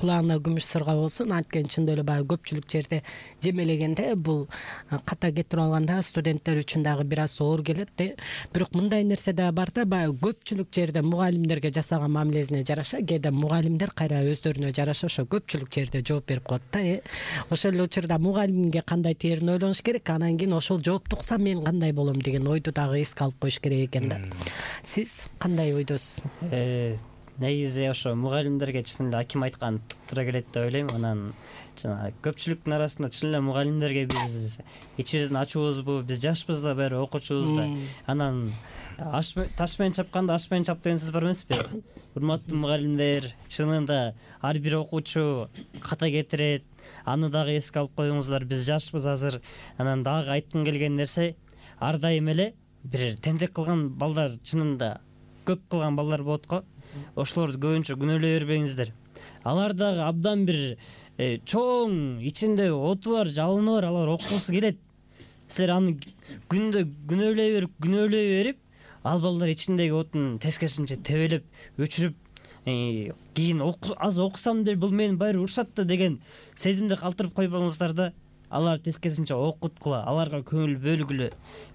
кулагына күмүш сырга болсун. Анткени чындап эле баягы көпчүлүк жерде жемелегенде бул ката кетирип алганда студенттер үчүн дагы бир аз оор келет да. Бирок мындай нерсе да бар да, баягы көпчүлүк жерде мугалимдерге жасаган мамилесине жараша, кээде мугалимдер кайра өздөрүнө жараша ошо көпчүлүк жерде жооп берип коет да. Ошол эле учурда мугалимге кандай тээрин ойлонуш керек, анан кийин ошол жооп тукса мен кандай болом деген ойду дагы эске алып коюш керек экен да. Сиз кандай ойдосуз? Негизи ошо мугалимдерге чын эле аким айткан туптура келет деп ойлойм. Анан көпчүлүктүн арасында чын эле мугалимдерге биз ичибиздин ачуубузбу, биз жашпыз да, баары окуучубуз да. Анан таш менен чапканда аш менен чап деген сөз бар эмеспи? Урматтуу мугалимдер, чынында ар бир окуучу ката кетирет. Аны дагы эске алып коюңуздар, биз жашпыз азыр. Анан дагы айткым келген нерсе, ар дайым эле бир тентек кылган балдар, чынында көп кылган балдар болот го. Ошолорду көбүнчө күнөөлөй бербеңиздер. Алар дагы абдан бир чоң ичинде оту бар, жалыны бар, алар окугусу келет. Силер аны күндө күнөөлөй берип, ал балдар ичиндеги отун тескерисинче тебелеп, өчүрүп, кийин аз окусам деле бул мени баары урушат да деген сезимди калтырып койбоңуздар да. Алар тескерисинче окуткула, аларга көңүл бөлгүлө.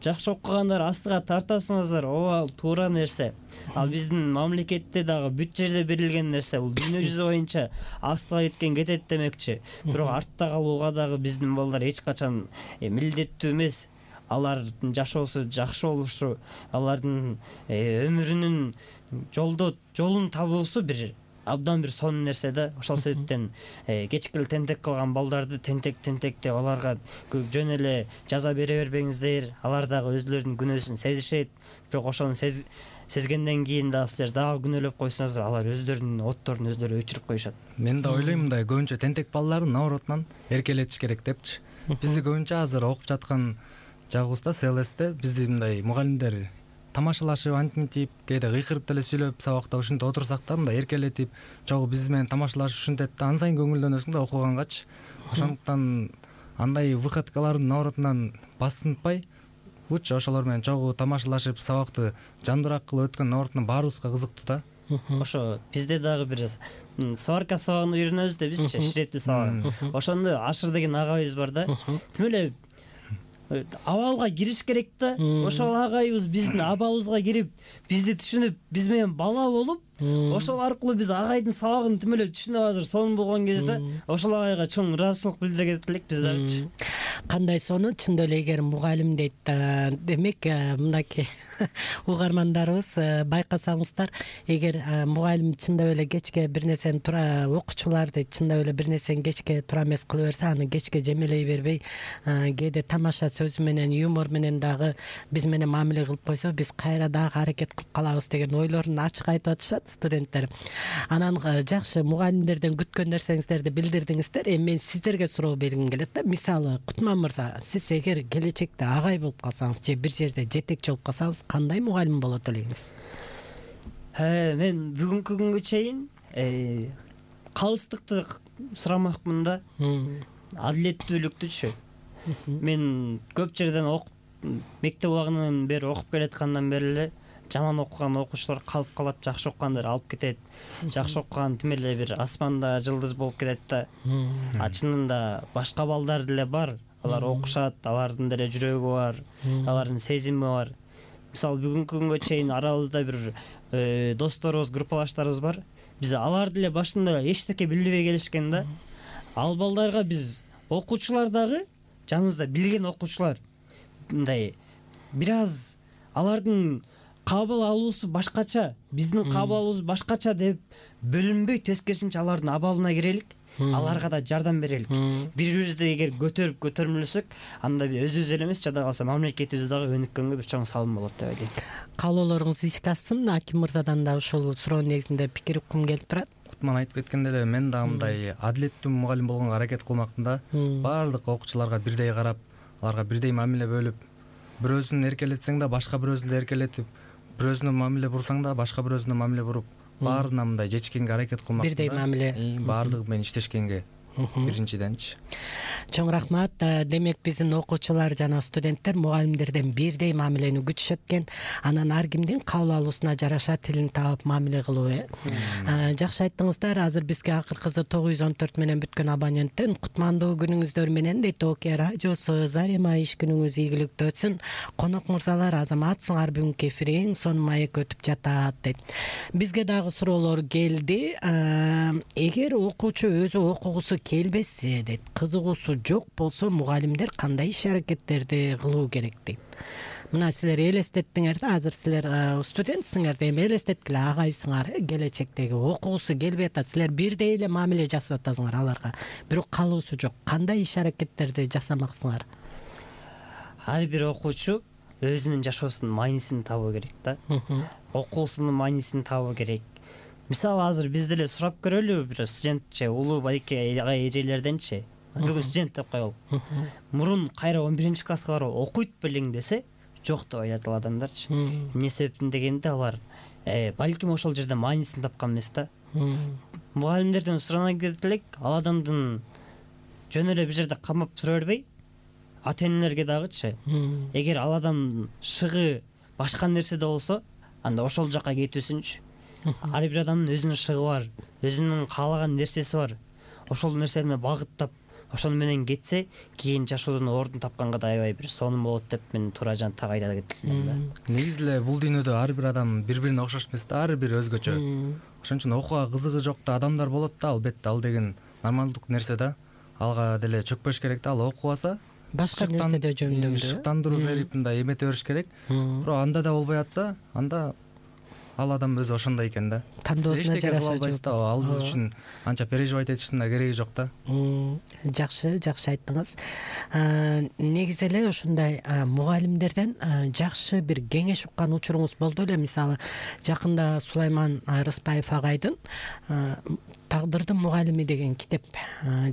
Жакшы окугандар астыга тартасыңыздар, ал туура нерсе. Ал биздин мамлекетте дагы бүт жерде берилген нерсе, бул дүйнө жүзү боюнча астыга кеткен кетет демекчи. Бирок артта калууга дагы биздин балдар эч качан милдеттүү эмес. Алардын жашоосу жакшы болушу, алардын өмүрүнүн жолун табуусу бир абдан бир сонун нерсе да. Ошол себептен кечки эле тентек кылган балдарды тентек деп аларга жөн эле жаза бере бербеңиздер. Алар дагы өзлөрүнүн күнөөсүн сезишет. Бирок ошону сезгенден кийин дагы силер дагы күнөөлөп койсоңуздар, алар өздөрүнүн отторун өздөрү өчүрүп коюшат. Мен да ойлойм мындай, көбүнчө тентек балдарды наоборотунан эркелетиш керек депчи. Бизди көбүнчө азыр окуп жаткан жагыбызда СЛСте бизди мындай мугалимдер тамашалашып, антимитип, кээде кыйкырып деле сүйлөп сабакта ушинтип отурсак да, мындай эркелетип, чогуу биз менен тамашалашып ушинтет да, ан сайын көңүлдөнөсүң да окугангачы. Ошондуктан андай выходкалардын наоборотунан басынтпай, лучше ошолор менен чогуу тамашалашып, сабакты жандуураак кылып өткөн наоборотунан баарыбызга кызыктуу да. Ошо бизде дагы бир сварка сабагын үйрөнөбүз да бизчи, ширетүү сабагын. Ошондо Ашыр деген агайыбыз бар да. Тим эле абалга кириш керек да. Ошол агайыбыз биздин абалыбызга кирип, бизди түшүнүп, биз менен бала болуп, ошол аркылуу биз агайдын сабагын тим эле түшүнүп азыр сонун болгон кезде ошол агайга чоң ыраазычылык билдирет элек биз дагычы. Кандай сонун, чындап эле эгер мугалим дейт, демек мынакей угармандарыбыз байкасаңыздар, эгер мугалим чындап эле кечке бир нерсени окуучулар дейт, чындап эле бир нерсени кечке тура эмес кыла берсе, аны кечке жемелей бербей, кээде тамаша сөзү менен, юмор менен дагы биз менен мамиле кылып койсо, биз кайра дагы аракет кылып калабыз деген ойлорун ачык айтып атышат студенттер. Анан жакшы, мугалимдерден күткөн нерсеңиздерди билдирдиңиздер. Эми мен сиздерге суроо бергим келет да. Мисалы, Кутман мырза, сиз эгер келечекте агай болуп калсаңыз же бир жерде жетекчи болуп калсаңыз, кандай мугалим болот элеңиз? Мен бүгүнкү күнгө чейин калыстыкты сурамакмын да. Адилеттүүлүктүчү. Мен көп жерден мектеп убагынан бери окуп келаткандан бери эле жаман окуган окуучулар калып калат, жакшы окугандар алып кетет. Жакшы окуган тим эле бир асманда жылдыз болуп кетет да. Чынында башка балдар деле бар. Алар окушат, алардын деле жүрөгү бар, алардын сезими бар. Мисалы, бүгүнкү күнгө чейин арабызда бир досторубуз, группалаштарыбыз бар. Биз алар деле башында эчтеке билбей келишкен да. Ал балдарга биз окуучулар дагы, жаныбызда билген окуучулар, мындай бир аз алардын кабыл алуусу башкача, биздин кабыл алуубуз башкача деп бөлүнбөй, тескерисинче алардын абалына кирелик, аларга да жардам берелик. Бири-бирибизди эгер көтөрмөлөсөк, анда өзүбүз эле эмес, жада калса мамлекетибиз дагы өнүккөнгө бир чоң салым болот деп ойлойм. Каалоолоруңуз ишке ашсын. Аким мырзадан да ушул суроонун негизинде пикир уккум келип турат. Кутман айтып кеткендей эле, мен дагы мындай адилеттүү мугалим болгонго аракет кылмактын да. Баардык окуучуларга бирдей карап, аларга бирдей мамиле бөлүп, бирөөсүн эркелетсең да башка бирөөсүн да эркелетип, бирөөсүнө мамиле бурсаң да башка бирөөсүнө мамиле буруп, баарына мындай жетишкенге аракет кылмак. Бирдей мамиле. Баардыгы менен иштешкенге биринчиденчи. Чоң рахмат. Демек биздин окуучулар жана студенттер мугалимдерден бирдей мамилени күтүшөт экен. Анан ар кимдин кабыл алуусуна жараша тилин таап мамиле кылуу. Жакшы айттыңыздар. Азыр бизге акыркысы 914 менен бүткөн абоненттен кутмандуу күнүңүздөр менен дейт ОК радиосу. Зарема иш күнүңүз ийгиликтүү өтсүн. Конок мырзалар, азаматсыңар, бүгүнкү эфир эң сонун маек өтүп жатат дейт. Бизге дагы суроолор келди. Эгер окуучу өзү окугусу келбесе дейт, кызыгуусу жок болсо, мугалимдер кандай иш аракеттерди кылуу керек дейт. Мына силер элестеттиңер да, азыр силер студентсиңер да, эми элестеткиле агайсыңар, келечектеги окугусу келбей атат, силер бирдей эле мамиле жасап атасыңар аларга, бирок калуусу жок. Кандай иш аракеттерди жасамаксыңар? Ар бир окуучу өзүнүн жашоосунун маанисин табуу керек да. Окуусунун маанисин табуу керек. Мисалы, азыр биз деле сурап көрөлү бир студентче, улуу байке агай эжелерденчи. Бүгүн студент деп коелу. Мурун кайра 11-класска барып окуйт белең десе, жок деп айтат ал адамдарчы. Эмне себептен дегенде алар балким ошол жерде маанисин тапкан эмес да. Мугалимдерден сурана керек элек, ал адамдын жөн эле бир жерде камап тура бербей, ата-энелерге дагычы, эгер ал адам шыгы башка нерседе болсо, анда ошол жака кетүүсүнчү. Ар бир адамдын өзүнүн шыгы бар, өзүнүн каалаган нерсеси бар. Ошол нерсени багыттап, ошону менен кетсе, кийин жашоодон ордун тапканга да аябай бир сонун болот деп мен туура жан так айта кетилем да. Негизи эле бул дүйнөдө ар бир адам бири-бирине окшош эмес да, ар бир өзгөчө. Ошон үчүн окууга кызыгы жок да адамдар болот да, албетте, ал деген нормалдык нерсе да. Алга деле чөкпөш керек да, ал окубаса, башка нерседе жөндөмдү шыктандыруу берип мындай эмете бериш керек. Бирок анда да болбой атса, анда ал адам өзү ошондой экен да. Тандоосуна жараша албайсыз да, ал үчүн анча переживать этиштин да кереги жок да. Жакшы айттыңыз. Негизи эле ушундай мугалимдерден жакшы бир кеңеш уккан учуруңуз болду эле. Мисалы, жакында Сулайман Рыспаев агайдын Тагдырдын мугалими деген китеп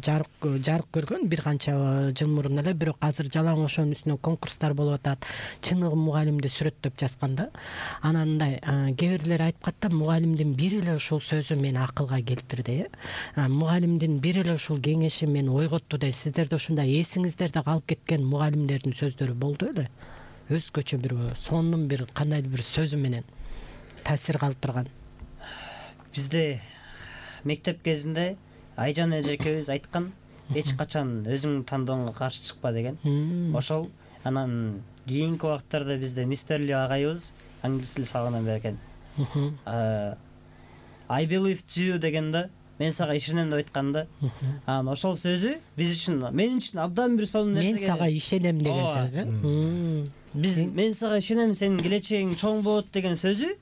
жарык көргөн бир канча жыл мурун эле, бирок азыр жалаң ошонун үстүнө конкурстар болуп атат. Чыныгы мугалимди сүрөттөп жазган да. Анан мындай кээ бирлер айтып катты, мугалимдин бир эле ушул сөзү мени акылга келтирди. Мугалимдин бир эле ушул кеңеши мени ойготту да. Сиздерде ушундай эсиңиздерде калып кеткен мугалимдердин сөздөрү болду эле? Өзгөчө бир сонун бир кандайдыр бир сөзү менен таасир калтырган. Бизде мектеп кезинде Айжан эжекебиз айткан, эч качан өзүңдүн тандооңо каршы чыкпа деген. Ошол анан кийинки убактарда бизде мистер Ли агайыбыз англис тил сабагынан берген. I believe to you дегенде мен сага ишенем деп айтканда, анан ошол сөзү биз үчүн, мен үчүн абдан бир сонун нерсе. Мен сага ишенем деген сөзү. Мен сага ишенем, сенин келечегиң чоң болот деген сөзү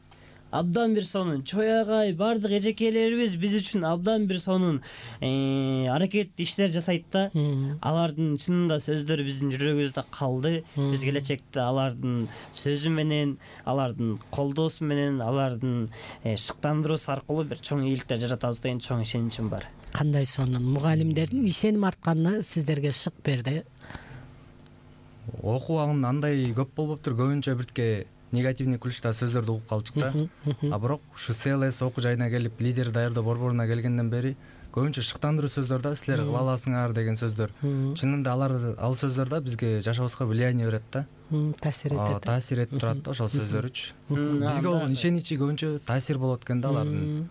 абдан бир сонун. Чоягай бардык эжекелерибиз биз үчүн абдан бир сонун аракет иштер жасайт да. Алардын чынында сөздөрү биздин жүрөгүбүздө калды. Биз келечекте алардын сөзү менен, алардын колдоосу менен, алардын шыктандыруусу аркылуу бир чоң ийгиликтер жаратабыз деген чоң ишеничим бар. Кандай сонун. Мугалимдердин ишеним артканы сиздерге шык берди. Окуу убагында андай көп болбоптур, көбүнчө биртке негативный ключта сөздөрдү угуп калчык да. А бирок ушу СЛС окуу жайына келип, лидер даярдоо борборуна келгенден бери көбүнчө шыктандыруу сөздөр да, силер кыла аласыңар деген сөздөр. Чынында ал сөздөр да бизге жашообузга влияние берет да. Таасир этет. Таасир этип турат да ошол сөздөрүчү. Бизге болгон ишеничи көбүнчө таасир болот экен да алардын.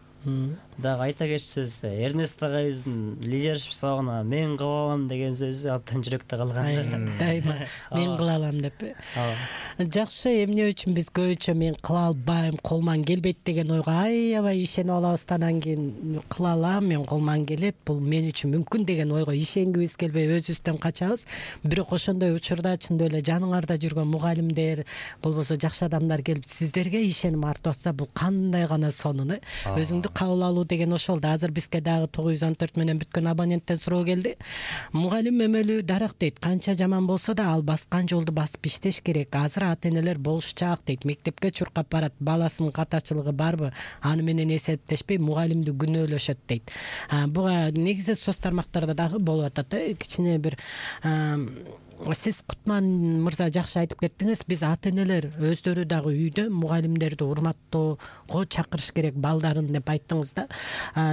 Дагы айта кетчү сөз, Эрнест агайыбыздын лидершип сабагына мен кыла алам деген сөзү абдан жүрөктө калган. Дайыма мен кыла алам деп. Жакшы, эмне үчүн биз көбүнчө мен кыла албайм, колуман келбейт деген ойго аябай ишенип алабыз. Анан кийин кыла алам, мен колуман келет, бул мен үчүн мүмкүн деген ойго ишенгибиз келбей өзүбүздөн качабыз. Бирок ошондой учурда чындап эле жаныңарда жүргөн мугалимдер, болбосо жакшы адамдар келип сиздерге ишеним артып атса, бул кандай гана сонун. Өзүңдү кабыл алуу деген ошол да. Азыр бизге дагы 914 менен бүткөн абоненттен суроо келди. Мугалим өмөлү дарак дейт. Канча жаман болсо да ал баскан жолду басып иштеш керек. Азыр ата-энелер болушчаак дейт. Мектепке чуркап барат. Баласынын катачылыгы барбы? Аны менен эсептешпей мугалимди күнөөлөшөт дейт. Буга негизи соц тармактарда дагы болуп атат. Кичине бир сиз Кутман мырза жакшы айтып кеттиңиз. Биз ата-энелер өздөрү дагы үйдө мугалимдерди урматтоого чакырыш керек балдарын деп айттыңыз да.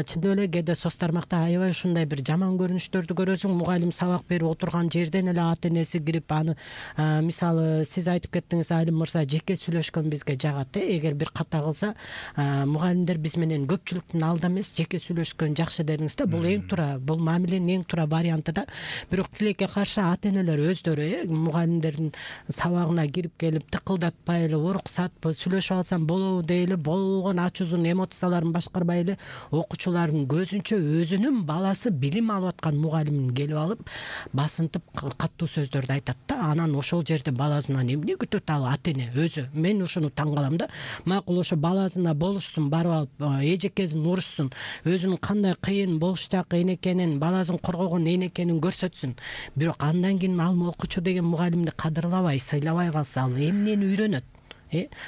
Чындап эле кээде соц тармакта аябай ушундай бир жаман көрүнүштөрдү көрөсүң. Мугалим сабак берип отурган жерден эле ата-энеси кирип аны, мисалы, сиз айтып кеттиңиз, Алим мырза, жеке сүйлөшкөн бизге жагат. Эгер бир ката кылса, мугалимдер биз менен көпчүлүктүн алдында эмес, жеке сүйлөшкөн жакшы дедиңиз да. Бул эң туура, бул мамиленин эң туура варианты да. Бирок тилекке каршы ата-энелер өздөрү мугалимдердин сабагына кирип келип тыкылдатпай эле, уруксатпы, сүйлөшүп алсам болобу дейли, болгон ачуусун, эмоцияларын башкарбай эле окуучулардын көзүнчө өзүнүн баласы билим алып аткан мугалимин келип алып басынтып каттуу сөздөрдү айтат да. Анан ошол жерде баласынан эмне күтөт ал ата-эне өзү? Мен ушуну таң калам да. Макул, ошо баласына болушсун, барып алып эжекесин урушсун, өзүнүн кандай кыйын болушчак экенин, баласын коргогон экенин көрсөтсүн. Бирок андан кийин ал окуучу деген мугалимди кадырлабай, сыйлабай калса, ал эмнени үйрөнөт?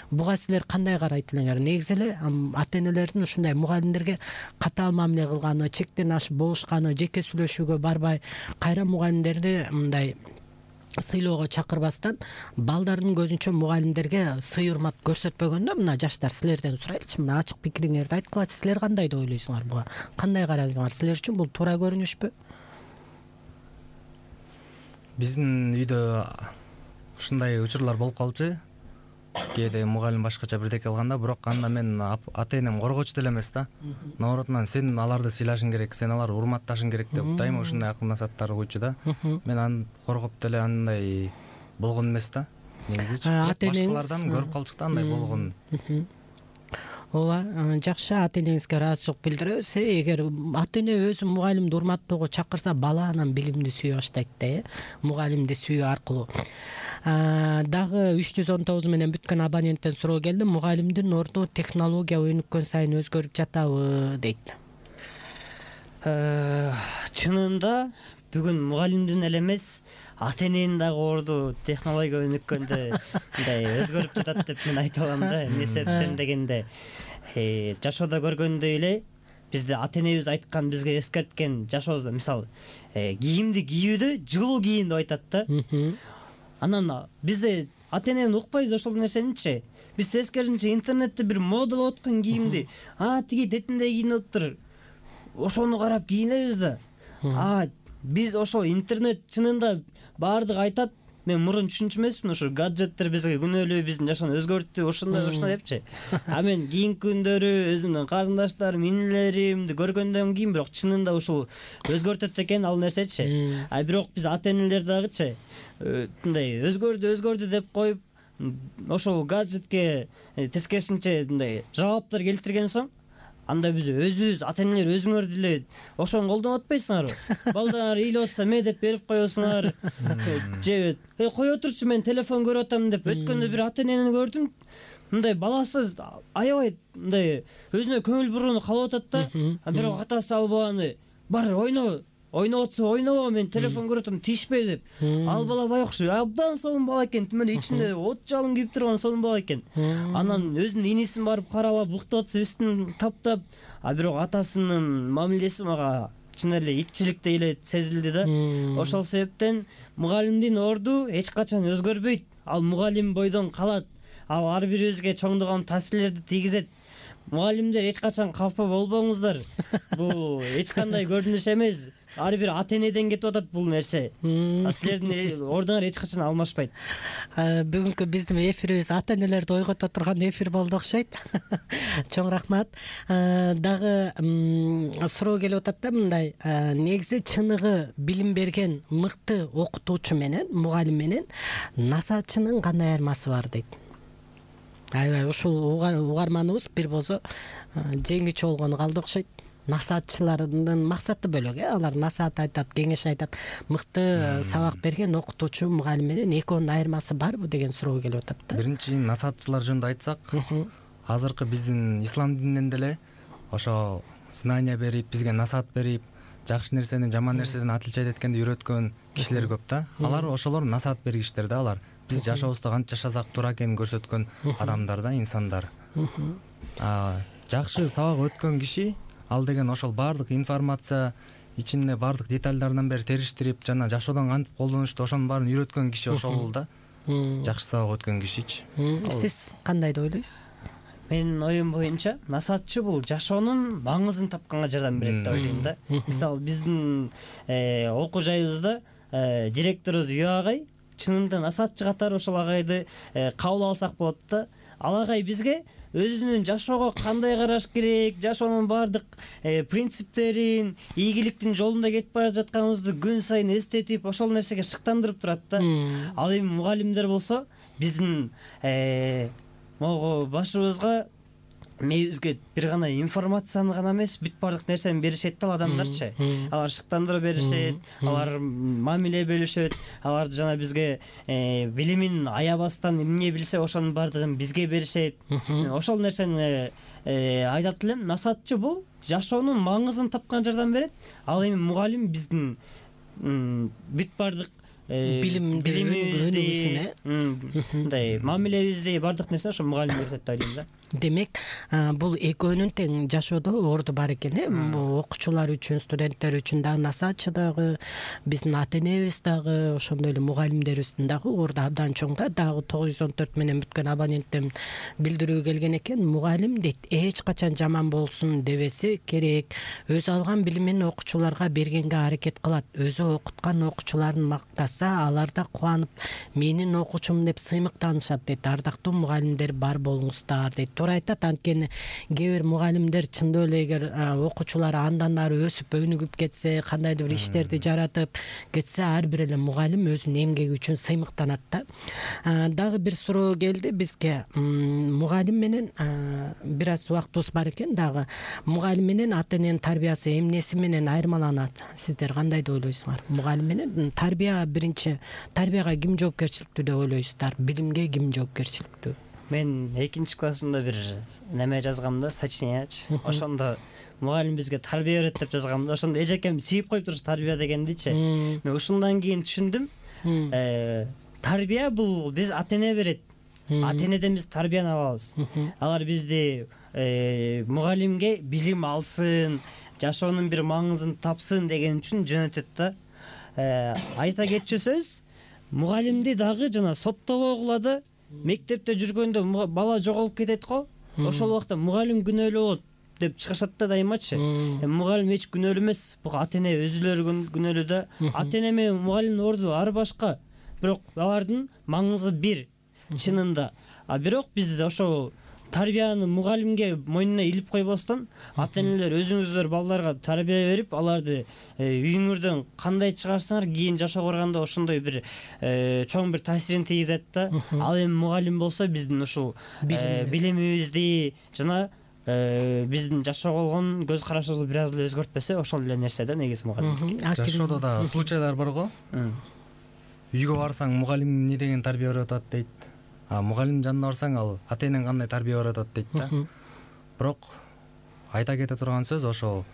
Буга силер кандай карайт элеңер? Негизи эле ата-энелердин ушундай мугалимдерге катаал мамиле кылганы, чектен ашып болушканы, жеке сүйлөшүүгө барбай, кайра мугалимдерди мындай сыйлоого чакырбастан, балдардын көзүнчө мугалимдерге сый урмат көрсөтпөгөндө, мына жаштар силерден сурайлычы, мына ачык пикириңерди айткылачы. Силер кандай деп ойлойсуңар буга? Кандай карайсыңар? Силер үчүн бул туура көрүнүшпү? Биздин үйдө ушундай учурлар болуп калчу. Кээде мугалим башкача бирдеке кылганда, бирок анда мен ата-энем коргоочу деле эмес да. Наоборотунан сен аларды сыйлашың керек, сен аларды урматташың керек деп дайыма ушундай акыл насааттар койчу да. Мен аны коргоп деле андай болгон эмес да. Негизичи башкалардан көрүп калчык да андай болгон. Ооба, жакшы, ата-энеңизге ыраазычылык билдиребиз. Эгер ата-эне өзү мугалимди урматтоого чакырса, бала анан билимди сүйө баштайт да, мугалимди сүйүү аркылуу. Дагы 319 менен бүткөн абоненттен суроо келди. Мугалимдин орду технология өнүккөн сайын өзгөрүп жатабы дейт. Чынында бүгүн мугалимдин эле эмес, ата эненин дагы орду технология өнүккөндө мындай өзгөрүп жатат деп мен айта алам да. Эмне себептен дегенде, жашоодо көргөндөй эле бизде ата энебиз айткан, бизге эскерткен жашообузда, мисалы, кийимди кийүүдө жылуу кийин деп айтат да. Анан бизде ата энени укпайбыз ошол нерсеничи. Биз тескерисинче интернетте бир модалап аткан кийимди, тиги детинде кийиниптир, ошону карап кийинебиз да. Биз ошол интернет чынында баардыгы айтат. Мен мурун түшүнчү эмесмин, ошо гаджеттер бизге күнөөлүү биздин жашоону өзгөрттү, ошондой депчи. Мен кийинки күндөрү өзүмдүн карындаштарым, инилеримди көргөндөн кийин бирок чынында ушул өзгөртөт экен ал нерсечи. Бирок биз ата энелер дагычы мындай өзгөрдү деп коюп, ошол гаджетке тескерисинче мындай жабаптар келтирген соң, анда биз өзүбүз, ата энелер өзүңөр деле ошону колдонуп атпайсыңарбы? Балдар ыйлап атса ме деп берип коесуңар. Же кой отурчу, мен телефон көрүп атам деп. Өткөндө бир ата энени көрдүм. Мындай баласы аябай мындай өзүнө көңүл бурууну каалап атат да. Бирок атасы ал баланы бар ойноп атса ойнобо, мен телефон көрүп атам, тиишпей деп. Ал бала байкуш абдан сонун бала экен, тимеле ичинде от жалын кийип турган сонун бала экен. Анан өзүнүн инисин барып каралап, уктап атса үстүн таптап, бирок атасынын мамилеси мага чын эле итчиликтей эле сезилди да. Ошол себептен мугалимдин орду эч качан өзгөрбөйт. Ал мугалим бойдон калат. Ал ар бирибизге чоңдогон таасирлерди тийгизет. Мугалимдер эч качан капа болбоңуздар. Бул эч кандай көрүнүш эмес. Ар бир ата энеден кетип атат бул нерсе. Силердин ордуңар эч качан алмашпайт. Бүгүнкү биздин эфирибиз ата энелерди ойгото турган эфир болду окшойт. Чоң рахмат. Дагы суроо келип атат да, мындай, негизи чыныгы билим берген мыкты окутуучу менен, мугалим менен насаатчынын кандай айырмасы бар дейт. Аябай ушул угарманыбыз бир болсо жеңүүчү болгону калды окшойт. Насаатчылардын максаты бөлөк, алар насаат айтат, кеңеш айтат. Мыкты сабак берген окутуучу, мугалим менен экөөнүн айырмасы барбы деген суроо келип атат да. Биринчи насаатчылар жөнүндө айтсак, азыркы биздин ислам дининен деле ошо знания берип, бизге насаат берип, жакшы нерсени жаман нерседен атылча эткенди үйрөткөн кишилер көп да. Алар ошолор насаат бергичтер да, алар биз жашообузда кантип жашасак туура экенин көрсөткөн адамдар да, инсандар. Жакшы сабак өткөн киши, ал деген ошол баардык информация ичинде баардык детальдардан бери териштирип, жана жашоодон кантип колдонушту ошонун баарын үйрөткөн киши ошол да. Жакшы сабак өткөн кишичи. Сиз кандай деп ойлойсуз? Менин оюм боюнча, насаатчы бул жашоонун маңызын тапканга жардам берет деп ойлойм да. Мисалы, биздин окуу жайыбызда директорубуз Үй агай чынында насаатчы катары ошол агайды кабыл алсак болот да. Ал агай бизге өзүнүн жашоого кандай караш керек, жашоонун баардык принциптерин, ийгиликтин жолунда кетип бара жатканыбызды күн сайын эстетип, ошол нерсеге шыктандырып турат да. Ал эми мугалимдер болсо биздин могу башыбызга, мээбизге бир гана информацияны гана эмес, бүт баардык нерсени беришет да адамдарчы. Алар шыктандырып беришет, алар мамиле бөлүшөт, алар жана бизге билимин аябастан эмне билсе ошонун баардыгын бизге беришет. Ошол нерсени айтат элем. Насаатчы бул жашоонун маңызын тапкан жардам берет. Ал эми мугалим биздин бүт баардык билимибизди, мындай мамилебизди, баардык нерсени ошо мугалим үйрөтөт деп ойлойм да. Демек, бул экөөнүн тең жашоодо орду бар экен, окуучулар үчүн, студенттер үчүн дагы, насаатчы дагы, биздин ата энебиз дагы, ошондой эле мугалимдерибиздин дагы орду абдан чоң да. Дагы 914 менен бүткөн абоненттен билдирүү келген экен. Мугалим дейт, эч качан жаман болсун дебеси керек. Өзү алган билимин окуучуларга бергенге аракет кылат. Өзү окуткан окуучуларын мактаса, алар да кубанып, менин окуучум деп сыймыктанышат дейт. Ардактуу мугалимдер бар болуңуздар дейт. Туура айтат, анткени кээ бир мугалимдер чындоо эле эгер окуучулар андан ары өсүп өнүгүп кетсе, кандайдыр бир иштерди жаратып кетсе, ар бир эле мугалим өзүнүн эмгеги үчүн сыймыктанат да. Дагы бир суроо келди бизге. Мугалим менен бир аз убактыбыз бар экен, дагы мугалим менен ата эненин тарбиясы эмнеси менен айырмаланат? Сиздер кандай деп ойлойсуңар? Мугалим менен тарбия биринчи экинчи тарбияга ким жоопкерчиликтүү деп ойлойсуздар, билимге ким жоопкерчиликтүү? Мен 2-классымда бир неме жазгам да, сочинениячы. Ошондо мугалим бизге тарбия берет деп жазгам да. Ошондо эжекем сүйүп коюп туруш тарбия дегендичи. Мен ушундан кийин түшүндүм. Тарбия бул биз ата-эне берет. Ата-энеден биз тарбияны алабыз. Алар бизди мугалимге билим алсын, жашоонун бир маңызын тапсын деген үчүн жөнөтөт да. Айта кетчү сөз, мугалимди дагы жана соттобогула да мектепте жүргөндө бала жоголуп кетет го. Ошол убакта мугалим күнөөлүү болот деп чыгышат да дайымачы. Мугалим эч күнөөлүү эмес, бул ата-эне өзүлөрү күнөөлүү да. Ата-эне менен мугалимдин орду ар башка, бирок алардын маңызы бир чынында. Бирок биз ошо тарбияны мугалимге мойнуна илип койбостон, ата-энелер өзүңүздөр балдарга тарбия берип, аларды үйүңөрдөн кандай чыгарсаңар, кийин жашоо барганда ошондой бир чоң бир таасирин тийгизет да. Ал эми мугалим болсо биздин ушул билимибизди жана биздин жашоого болгон көз карашыбызды бир аз эле өзгөртпөсө, ошол эле нерсе да негизи мугалим. Жашоодо да случайлар бар го. Үйгө барсаң мугалим эмне деген тарбия берип атат дейт. Мугалим жанына барсаң ал ата-энең кандай тарбия берип атат дейт да. Бирок айта кете турган сөз ошол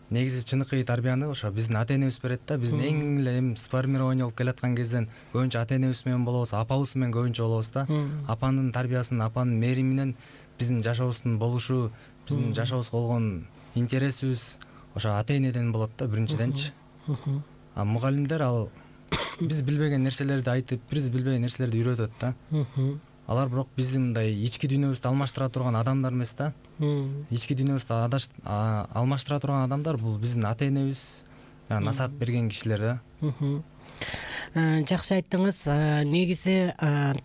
негизи чыныкы тарбияны ошо биздин ата-энебиз берет да. Биздин эң эле эми сформирование болуп келаткан кезден көбүнчө ата-энебиз менен болобуз, апабыз менен көбүнчө болобуз да. Апанын тарбиясын, апанын мээри менен биздин жашообуздун болушу, биздин жашообузга болгон интересибиз ошо ата-энеден болот да биринчиденчи. Мугалимдер ал биз билбеген нерселерди айтып, биз билбеген нерселерди үйрөтөт да. Алар бирок биздин мындай ички дүйнөбүздү алмаштыра турган адамдар эмес да. Ички дүйнөбүздү алмаштыра турган адамдар бул биздин ата-энебиз, насаат берген кишилер да. Жакшы айттыңыз. Негизи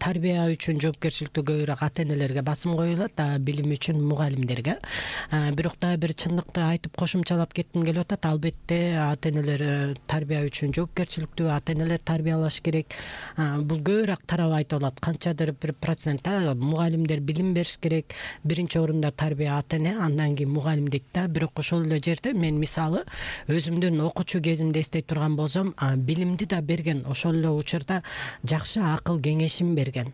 тарбия үчүн жоопкерчиликтүү көбүрөөк ата-энелерге басым коюлат, билим үчүн мугалимдерге. Бирок да бир чындыкты айтып кошумчалап кетким келип атат. Албетте ата-энелер тарбия үчүн жоопкерчиликтүү, ата-энелер тарбиялаш керек. Бул көбүрөөк тарап айтып алат. Канчадыр бир процент мугалимдер билим бериш керек. Биринчи орунда тарбия ата-эне, андан кийин мугалим дейт да. Бирок ошол эле жерде мен мисалы өзүмдүн окуучу кезимде эстей турган болсом, билимди да берген, ошол эле учурда жакшы акыл кеңешин берген,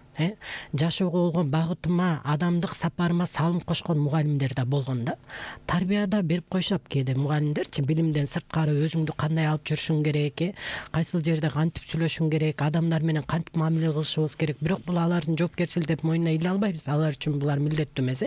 жашоого болгон багытыма, адамдык сапарыма салым кошкон мугалимдер да болгон да. Тарбияда берип коюшат кээде мугалимдерчи, билимден сырткары өзүңдү кандай алып жүрүшүң керек, кайсыл жерде кантип сүйлөшүң керек, адамдар менен кантип мамиле кылышыбыз керек. Бирок бул алардын жоопкерчилиги деп мойнуна иле албайбыз. Алар үчүн булар милдеттүү эмес.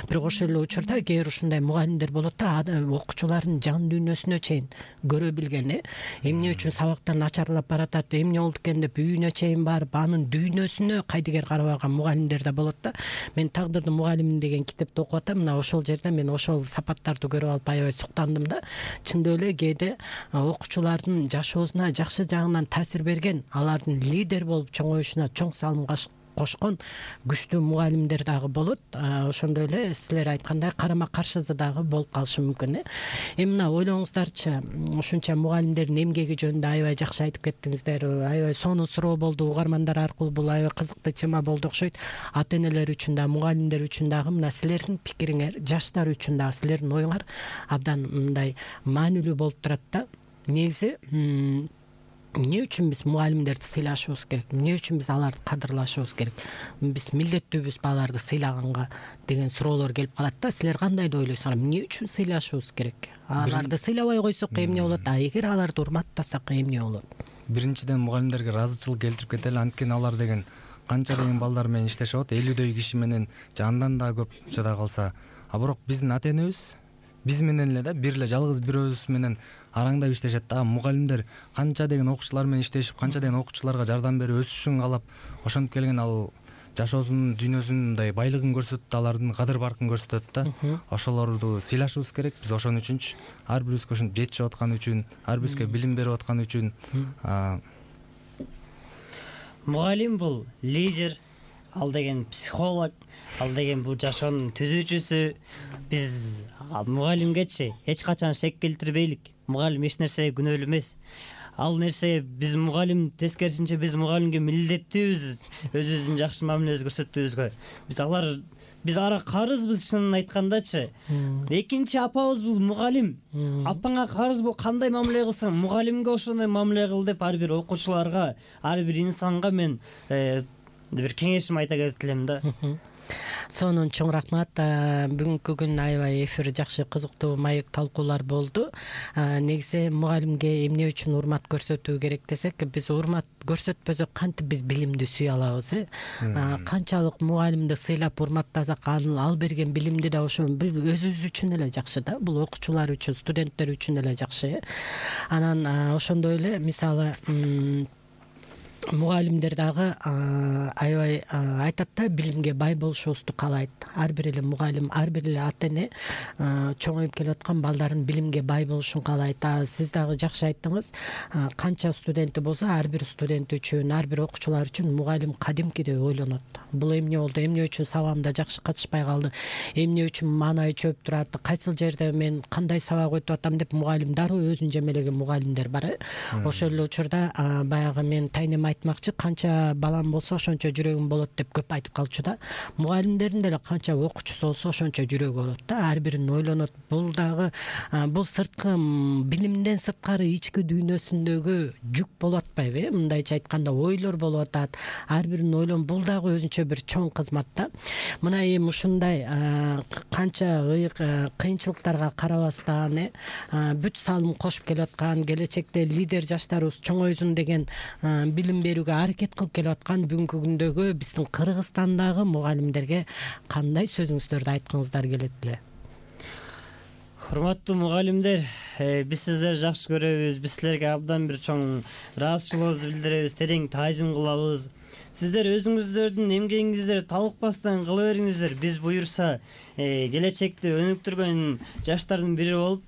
Бирок ошол эле учурда кээ бир ушундай мугалимдер болот да, окуучулардын жан дүйнөсүнө чейин көрө билген, эмне үчүн сабактар начарлап баратат, эмне болду экен деп үйүнө чейин барып, анын дүйнөсүнө кайдыгер карабаган мугалимдер да болот да. Мен Тагдырдын мугалими деген китепти окуп атам. Мына ошол жерде мен ошол сапаттарды көрүп алып аябай суктандым да. Чындап эле кээде окуучулардын жашоосуна жакшы жагынан таасир берген, алардын лидер болуп чоңоюшуна чоң салым кошкон күчтүү мугалимдер дагы болот. Ошондой эле силер айткандай карама каршысы дагы болуп калышы мүмкүн. Эми мына ойлоңуздарчы, ушунча мугалимдердин эмгеги жөнүндө аябай жакшы айтып кеттиңиздер. Аябай сонун суроо болду угармандар аркылуу, бул аябай кызыктуу тема болду окшойт. Ата-энелер үчүн да, мугалимдер үчүн дагы мына силердин пикириңер, жаштар үчүн дагы силердин оюңар абдан мындай маанилүү болуп турат да. Негизи эмне үчүн биз мугалимдерди сыйлашыбыз керек? Эмне үчүн биз аларды кадырлашыбыз керек? Биз милдеттүүбүз аларды сыйлаганга деген суроолор келип калат да. Силер кандай деп ойлойсуңар? Эмне үчүн сыйлашыбыз керек? Аларды сыйлабай койсок эмне болот? Эгер аларды урматтасак эмне болот? Биринчиден мугалимдерге ыраазычылык келтирип кетели, анткени алар деген канча деген балдар менен иштешип атат, 50дөй киши менен же андан да көп жада калса. Бирок биздин ата-энебиз биз менен эле да бир эле жалгыз бирөөбүз менен араңдап иштешет да. Мугалимдер канча деген окуучулар менен иштешип, канча деген окуучуларга жардам берип өсүшүн каалап ошентип келген, ал жашоосунун дүйнөсүнүн мындай байлыгын көрсөтөт, алардын кадыр баркын көрсөтөт да. Ошолорду сыйлашыбыз керек. Биз ошон үчүнчү ар бирибизге ушинтип жетишип аткан үчүн, ар бирибизге билим берип аткан үчүн. Мугалим бул лидер, ал деген психолог, ал деген бул жашоонун түзүүчүсү. Биз мугалимгечи эч качан шек келтирбейлик. Мугалим эч нерсеге күнөөлүү эмес. Ал нерсе биз мугалим, тескерисинче биз мугалимге милдеттүүбүз, өзүбүздүн жакшы мамилебизди көрсөтүүбүзгө. Биз алар биз ара карызбыз чынын айткандачы. Экинчи апабыз бул мугалим. Апаңа карыз бул кандай мамиле кылсаң, мугалимге ошондой мамиле кыл деп ар бир окуучуларга, ар бир инсанга мен бир кеңешим айта кетип элем да. Сонун чоң рахмат. Бүгүнкү күн аябай эфир жакшы, кызыктуу, маек талкуулар болду. Негизи мугалимге эмне үчүн урмат көрсөтүү керек десек, биз урмат көрсөтпөсөк кантип биз билимди сүйө алабыз, канчалык мугалимди сыйлап урматтасак, ал берген билимди да ошо өзүбүз үчүн эле жакшы да, бул окуучулар үчүн, студенттер үчүн эле жакшы. Анан ошондой эле мисалы мугалимдер дагы аябай айтат да, билимге бай болушубузду каалайт. Ар бир эле мугалим, ар бир эле ата эне чоңоюп келаткан балдарын билимге бай болушун каалайт. Сиз дагы жакшы айттыңыз. Канча студенти болсо, ар бир студент үчүн, ар бир окуучулар үчүн мугалим кадимкидей ойлонот. Бул эмне болду, эмне үчүн сабагымда жакшы катышпай калды, эмне үчүн маанай чөп турат, кайсыл жерде мен кандай сабак өтүп атам деп мугалим дароо өзүн жемелеген мугалимдер бар. Ошол эле учурда баягы мен тайнем айтмакчы, канча балам болсо ошончо жүрөгүм болот деп көп айтып калчу да. Мугалимдердин деле канча окуучусу болсо ошончо жүрөгү болот да. Ар бирин ойлонот. Бул дагы бул сырткы билимден сырткары ички дүйнөсүндөгү жүк болуп атпайбы? Мындайча айтканда ойлор болуп атат. Ар бирин ойлон, бул дагы өзүнчө бир чоң кызмат да. Мына эми ушундай канча кыйынчылыктарга карабастан бүт салым кошуп келаткан, келечекте лидер жаштарыбыз чоңойсун деген билим берүүгө аракет кылып келаткан бүгүнкү күндөгү биздин Кыргызстандагы мугалимдерге кандай сөзүңүздөрдү айткыңыздар келет эле? Урматтуу мугалимдер, биз сиздерди жакшы көрөбүз, биз силерге абдан бир чоң ыраазычылыгыбызды билдиребиз, терең таазим кылабыз. Сиздер өзүңүздөрдүн эмгегиңиздерди талыкпастан кыла бериңиздер. Биз буюрса келечекте өнүктүргөн жаштардын бири болуп,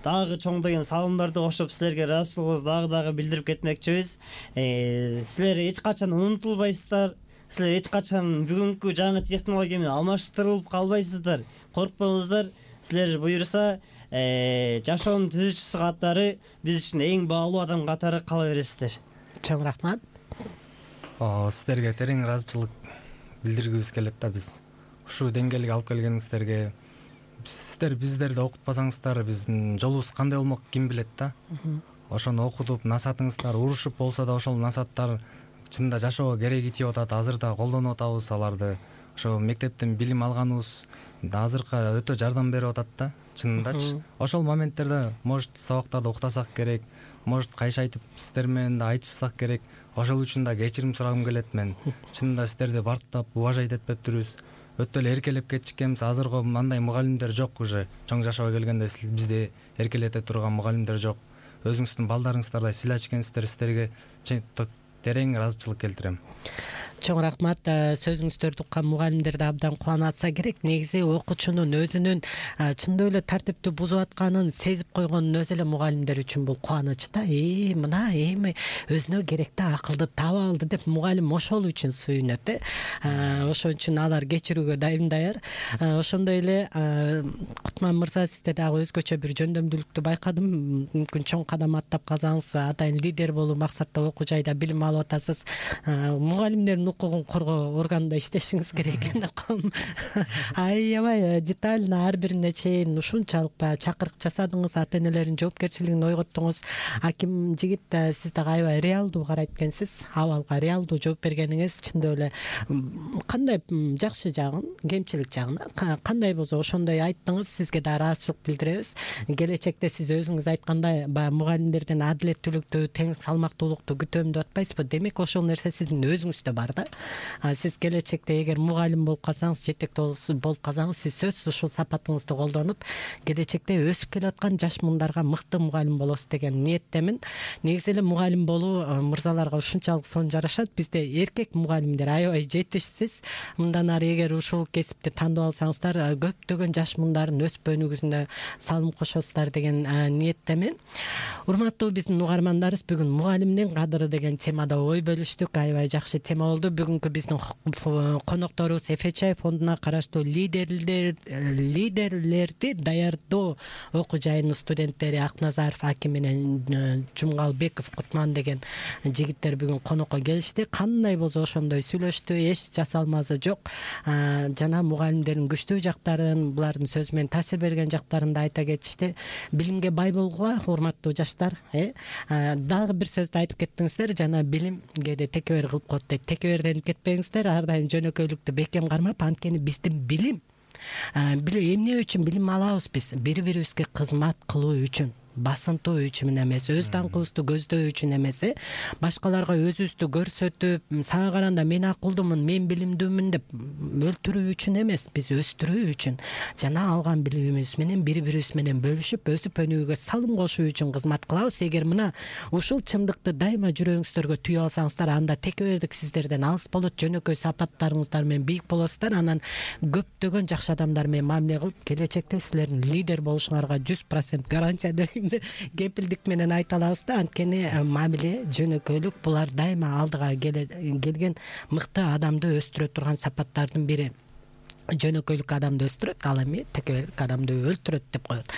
дагы чоңдогон салымдарды кошуп силерге ыраазычылыгыбызды дагы билдирип кетмекчибиз. Силер эч качан унутулбайсыздар. Силер эч качан бүгүнкү жаңы технология менен алмаштырылып калбайсыздар. Коркпоңуздар. Силер буюрса жашоонун түзүүчүсү катары биз үчүн эң баалуу адам катары кала бересиздер. Чоң рахмат. Сиздерге терең ыраазычылык билдиргибиз келет да. Биз ушул деңгээлге алып келгениңиздерге, сиздер биздерди окутпасаңыздар, биздин жолубуз кандай болмок ким билет да. Ошону окутуп, насаатыңыздар урушуп болсо да, ошол насааттар чынында жашоого кереги тийип атат. Азыр да колдонуп атабыз аларды. Ошо мектептен билим алганыбыз азыркы өтө жардам берип атат да, чынындачы. Ошол моменттерде может сабактарды уктасак керек, может кайшы айтып сиздер менен да айтышсак керек. Ошол үчүн да кечирим сурагым келет мен. Чынында сиздерди бартап уважать этпептирбиз. Өтө эле эркелеп кетишкенбиз. Азыркы мындай мугалимдер жок уже. Чоң жашоого келгенде бизди эркелете турган мугалимдер жок. Өзүңүздүн балдарыңыздардай сыйлаш экенсиздер. Сиздерге терең ыраазычылык келтирем. Чоң рахмат. Сөзүңүздөрдү уккан мугалимдерди абдан кубанатса керек. Негизи окуучунун өзүнүн чындап эле тартипти бузуп атканын сезип койгонун өзү эле мугалимдер үчүн бул кубаныч да. Мына эми өзүнө керектүү акылды таап алды деп мугалим ошол үчүн сүйүнөт. Ошон үчүн алар кечирүүгө дайым даяр. Ошондой эле Кутман мырза, сизде дагы өзгөчө бир жөндөмдүүлүктү байкадым. Мүмкүн чоң кадам аттап калсаңыз, атайын лидер болуу максатта окуу жайда билим алып атасыз. Мугалимдердин укугун коргоо органында иштешиңиз керек экен деп калдым. Аябай детально ар бирине чейин ушунчалык чакырык жасадыңыз, ата энелердин жоопкерчилигин ойготтуңуз. Аким жигит, сиз дагы аябай реалдуу карайт экенсиз. Абалга реалдуу жооп бергениңиз чындап эле кандай жакшы жагын, кемчилик жагын кандай болсо ошондой айттыңыз. Сизге да ыраазычылык билдиребиз. Келечекте сиз өзүңүз айткандай баягы мугалимдерден адилеттүүлүктү, тең салмактуулукту күтөм деп атпайсызбы? Демек ошол нерсе сиздин өзүңүздө бар да. Сиз келечекте эгер мугалим болуп калсаңыз, жетекте болуп калсаңыз, сиз сөзсүз ушул сапатыңызды колдонуп, келечекте өсүп келаткан жаш муундарга мыкты мугалим болосуз деген ниеттемин. Негизи эле мугалим болуу мырзаларга ушунчалык сонун жарашат. Бизде эркек мугалимдер аябай жетишсиз. Мындан ары эгер ушул кесипти тандап алсаңыздар, көптөгөн жаш муundардын өсүп өнүгүүсүнө салым кошосуздар деген ниеттемин. Урматтуу биздин угармандарыбыз, бүгүн мугалимдин кадыры деген темада темада ой бөлүштүк. Аябай жакшы тема болду. Бүгүнкү биздин конокторубуз ФЧ фондуна караштуу лидерлерди даярдоо окуу жайынын студенттери Акназаров Аким менен Жумгалбеков Кутман деген жигиттер бүгүн конокко келишти. Кандай болсо ошондой сүйлөштү. Эч жасалмасы жок. Жана мугалимдердин күчтүү жактарын, булардын сөзү менен таасир берген жактарын да айта кетишти. Билимге бай болгула, урматтуу жаштар. Дагы бир сөздү айтып кеттиңиздер. Жана билим кээде текебер кылып коет дейт. Текеберден кетпеңиздер. Ар дайым жөнөкөйлүктү бекем кармап, анткени биздин билим эмне үчүн билим алабыз биз? Бири-бирибизге кызмат кылуу үчүн, басынтуу үчүн эмес, өз даңкыбызды көздөөө үчүн эмес, башкаларга өзүбүздү көрсөтүп, сага караганда мен акылдуумун, мен билимдүүмүн деп өлтүрүү үчүн эмес, биз өстүрүү үчүн жана алган билимибиз менен бири-бирибиз менен бөлүшүп, өсүп өнүгүүгө салым кошуу үчүн кызмат кылабыз. Эгер мына ушул чындыкты дайыма жүрөгүңүздөргө түйүп алсаңыздар, анда текебердик сиздерден алыс болот, жөнөкөй сапаттарыңыздар менен бийик болосуздар. Анан көптөгөн жакшы адамдар менен мамиле кылып, келечекте силердин лидер болушуңарга 100% гарантия берем. Кепилдик менен айта алабыз да, анткени мамиле, жөнөкөйлүк булар дайыма алдыга келген мыкты адамды өстүрө турган сапаттардын бири. Жөнөкөйлүк адамды өстүрөт, ал эми текебердик адамды өлтүрөт деп коет.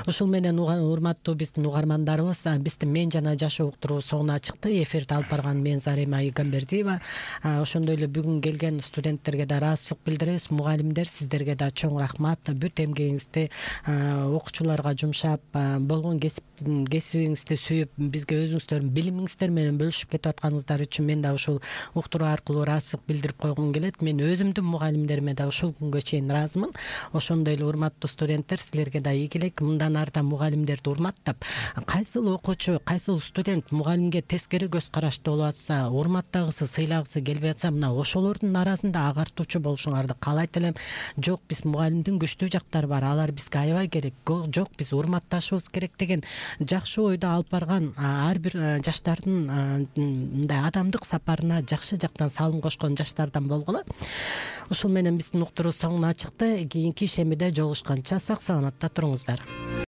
Ушул менен урматтуу биздин угармандарыбыз, биздин Мен жана жашоо уктуруу соңуна чыкты. Эфирди алып барган мен Зарима Игамбердиева. Ошондой эле бүгүн келген студенттерге да ыраазычылык билдиребиз. Мугалимдер, сиздерге да чоң рахмат. Бүт эмгегиңизди окуучуларга жумшап, болгон кесибиңизди сүйүп, бизге өзүңүздөрдүн билимиңиздер менен бөлүшүп кетип атканыңыздар үчүн мен да ушул уктуруу аркылуу ыраазычылык билдирип койгум келет. Мен өзүмдүн мугалимдериме да ушул күнгө чейин ыраазымын. Ошондой эле урматтуу студенттер, силерге да ийгилик. Мындан артан мугалимдерди урматтап, кайсыл окуучу, кайсыл студент мугалимге тескери көз карашты болуп атса, урматтагысы, сыйлагысы келбей атса, мына ошолордун арасында агартуучу болушуңарды каалайт элем. Жок, биз мугалимдин күчтүү жактары бар, алар бизге аябай керек. Жок, биз урматташыбыз керек деген жакшы ойду алып барган ар бир жаштардын мындай адамдык сапарына жакшы жактан салым кошкон жаштардан болгула. Ушул менен биздин уктуруу соңуна чыкты. Кийинки ишемиде жолугушканча сак саламатта туруңуздар.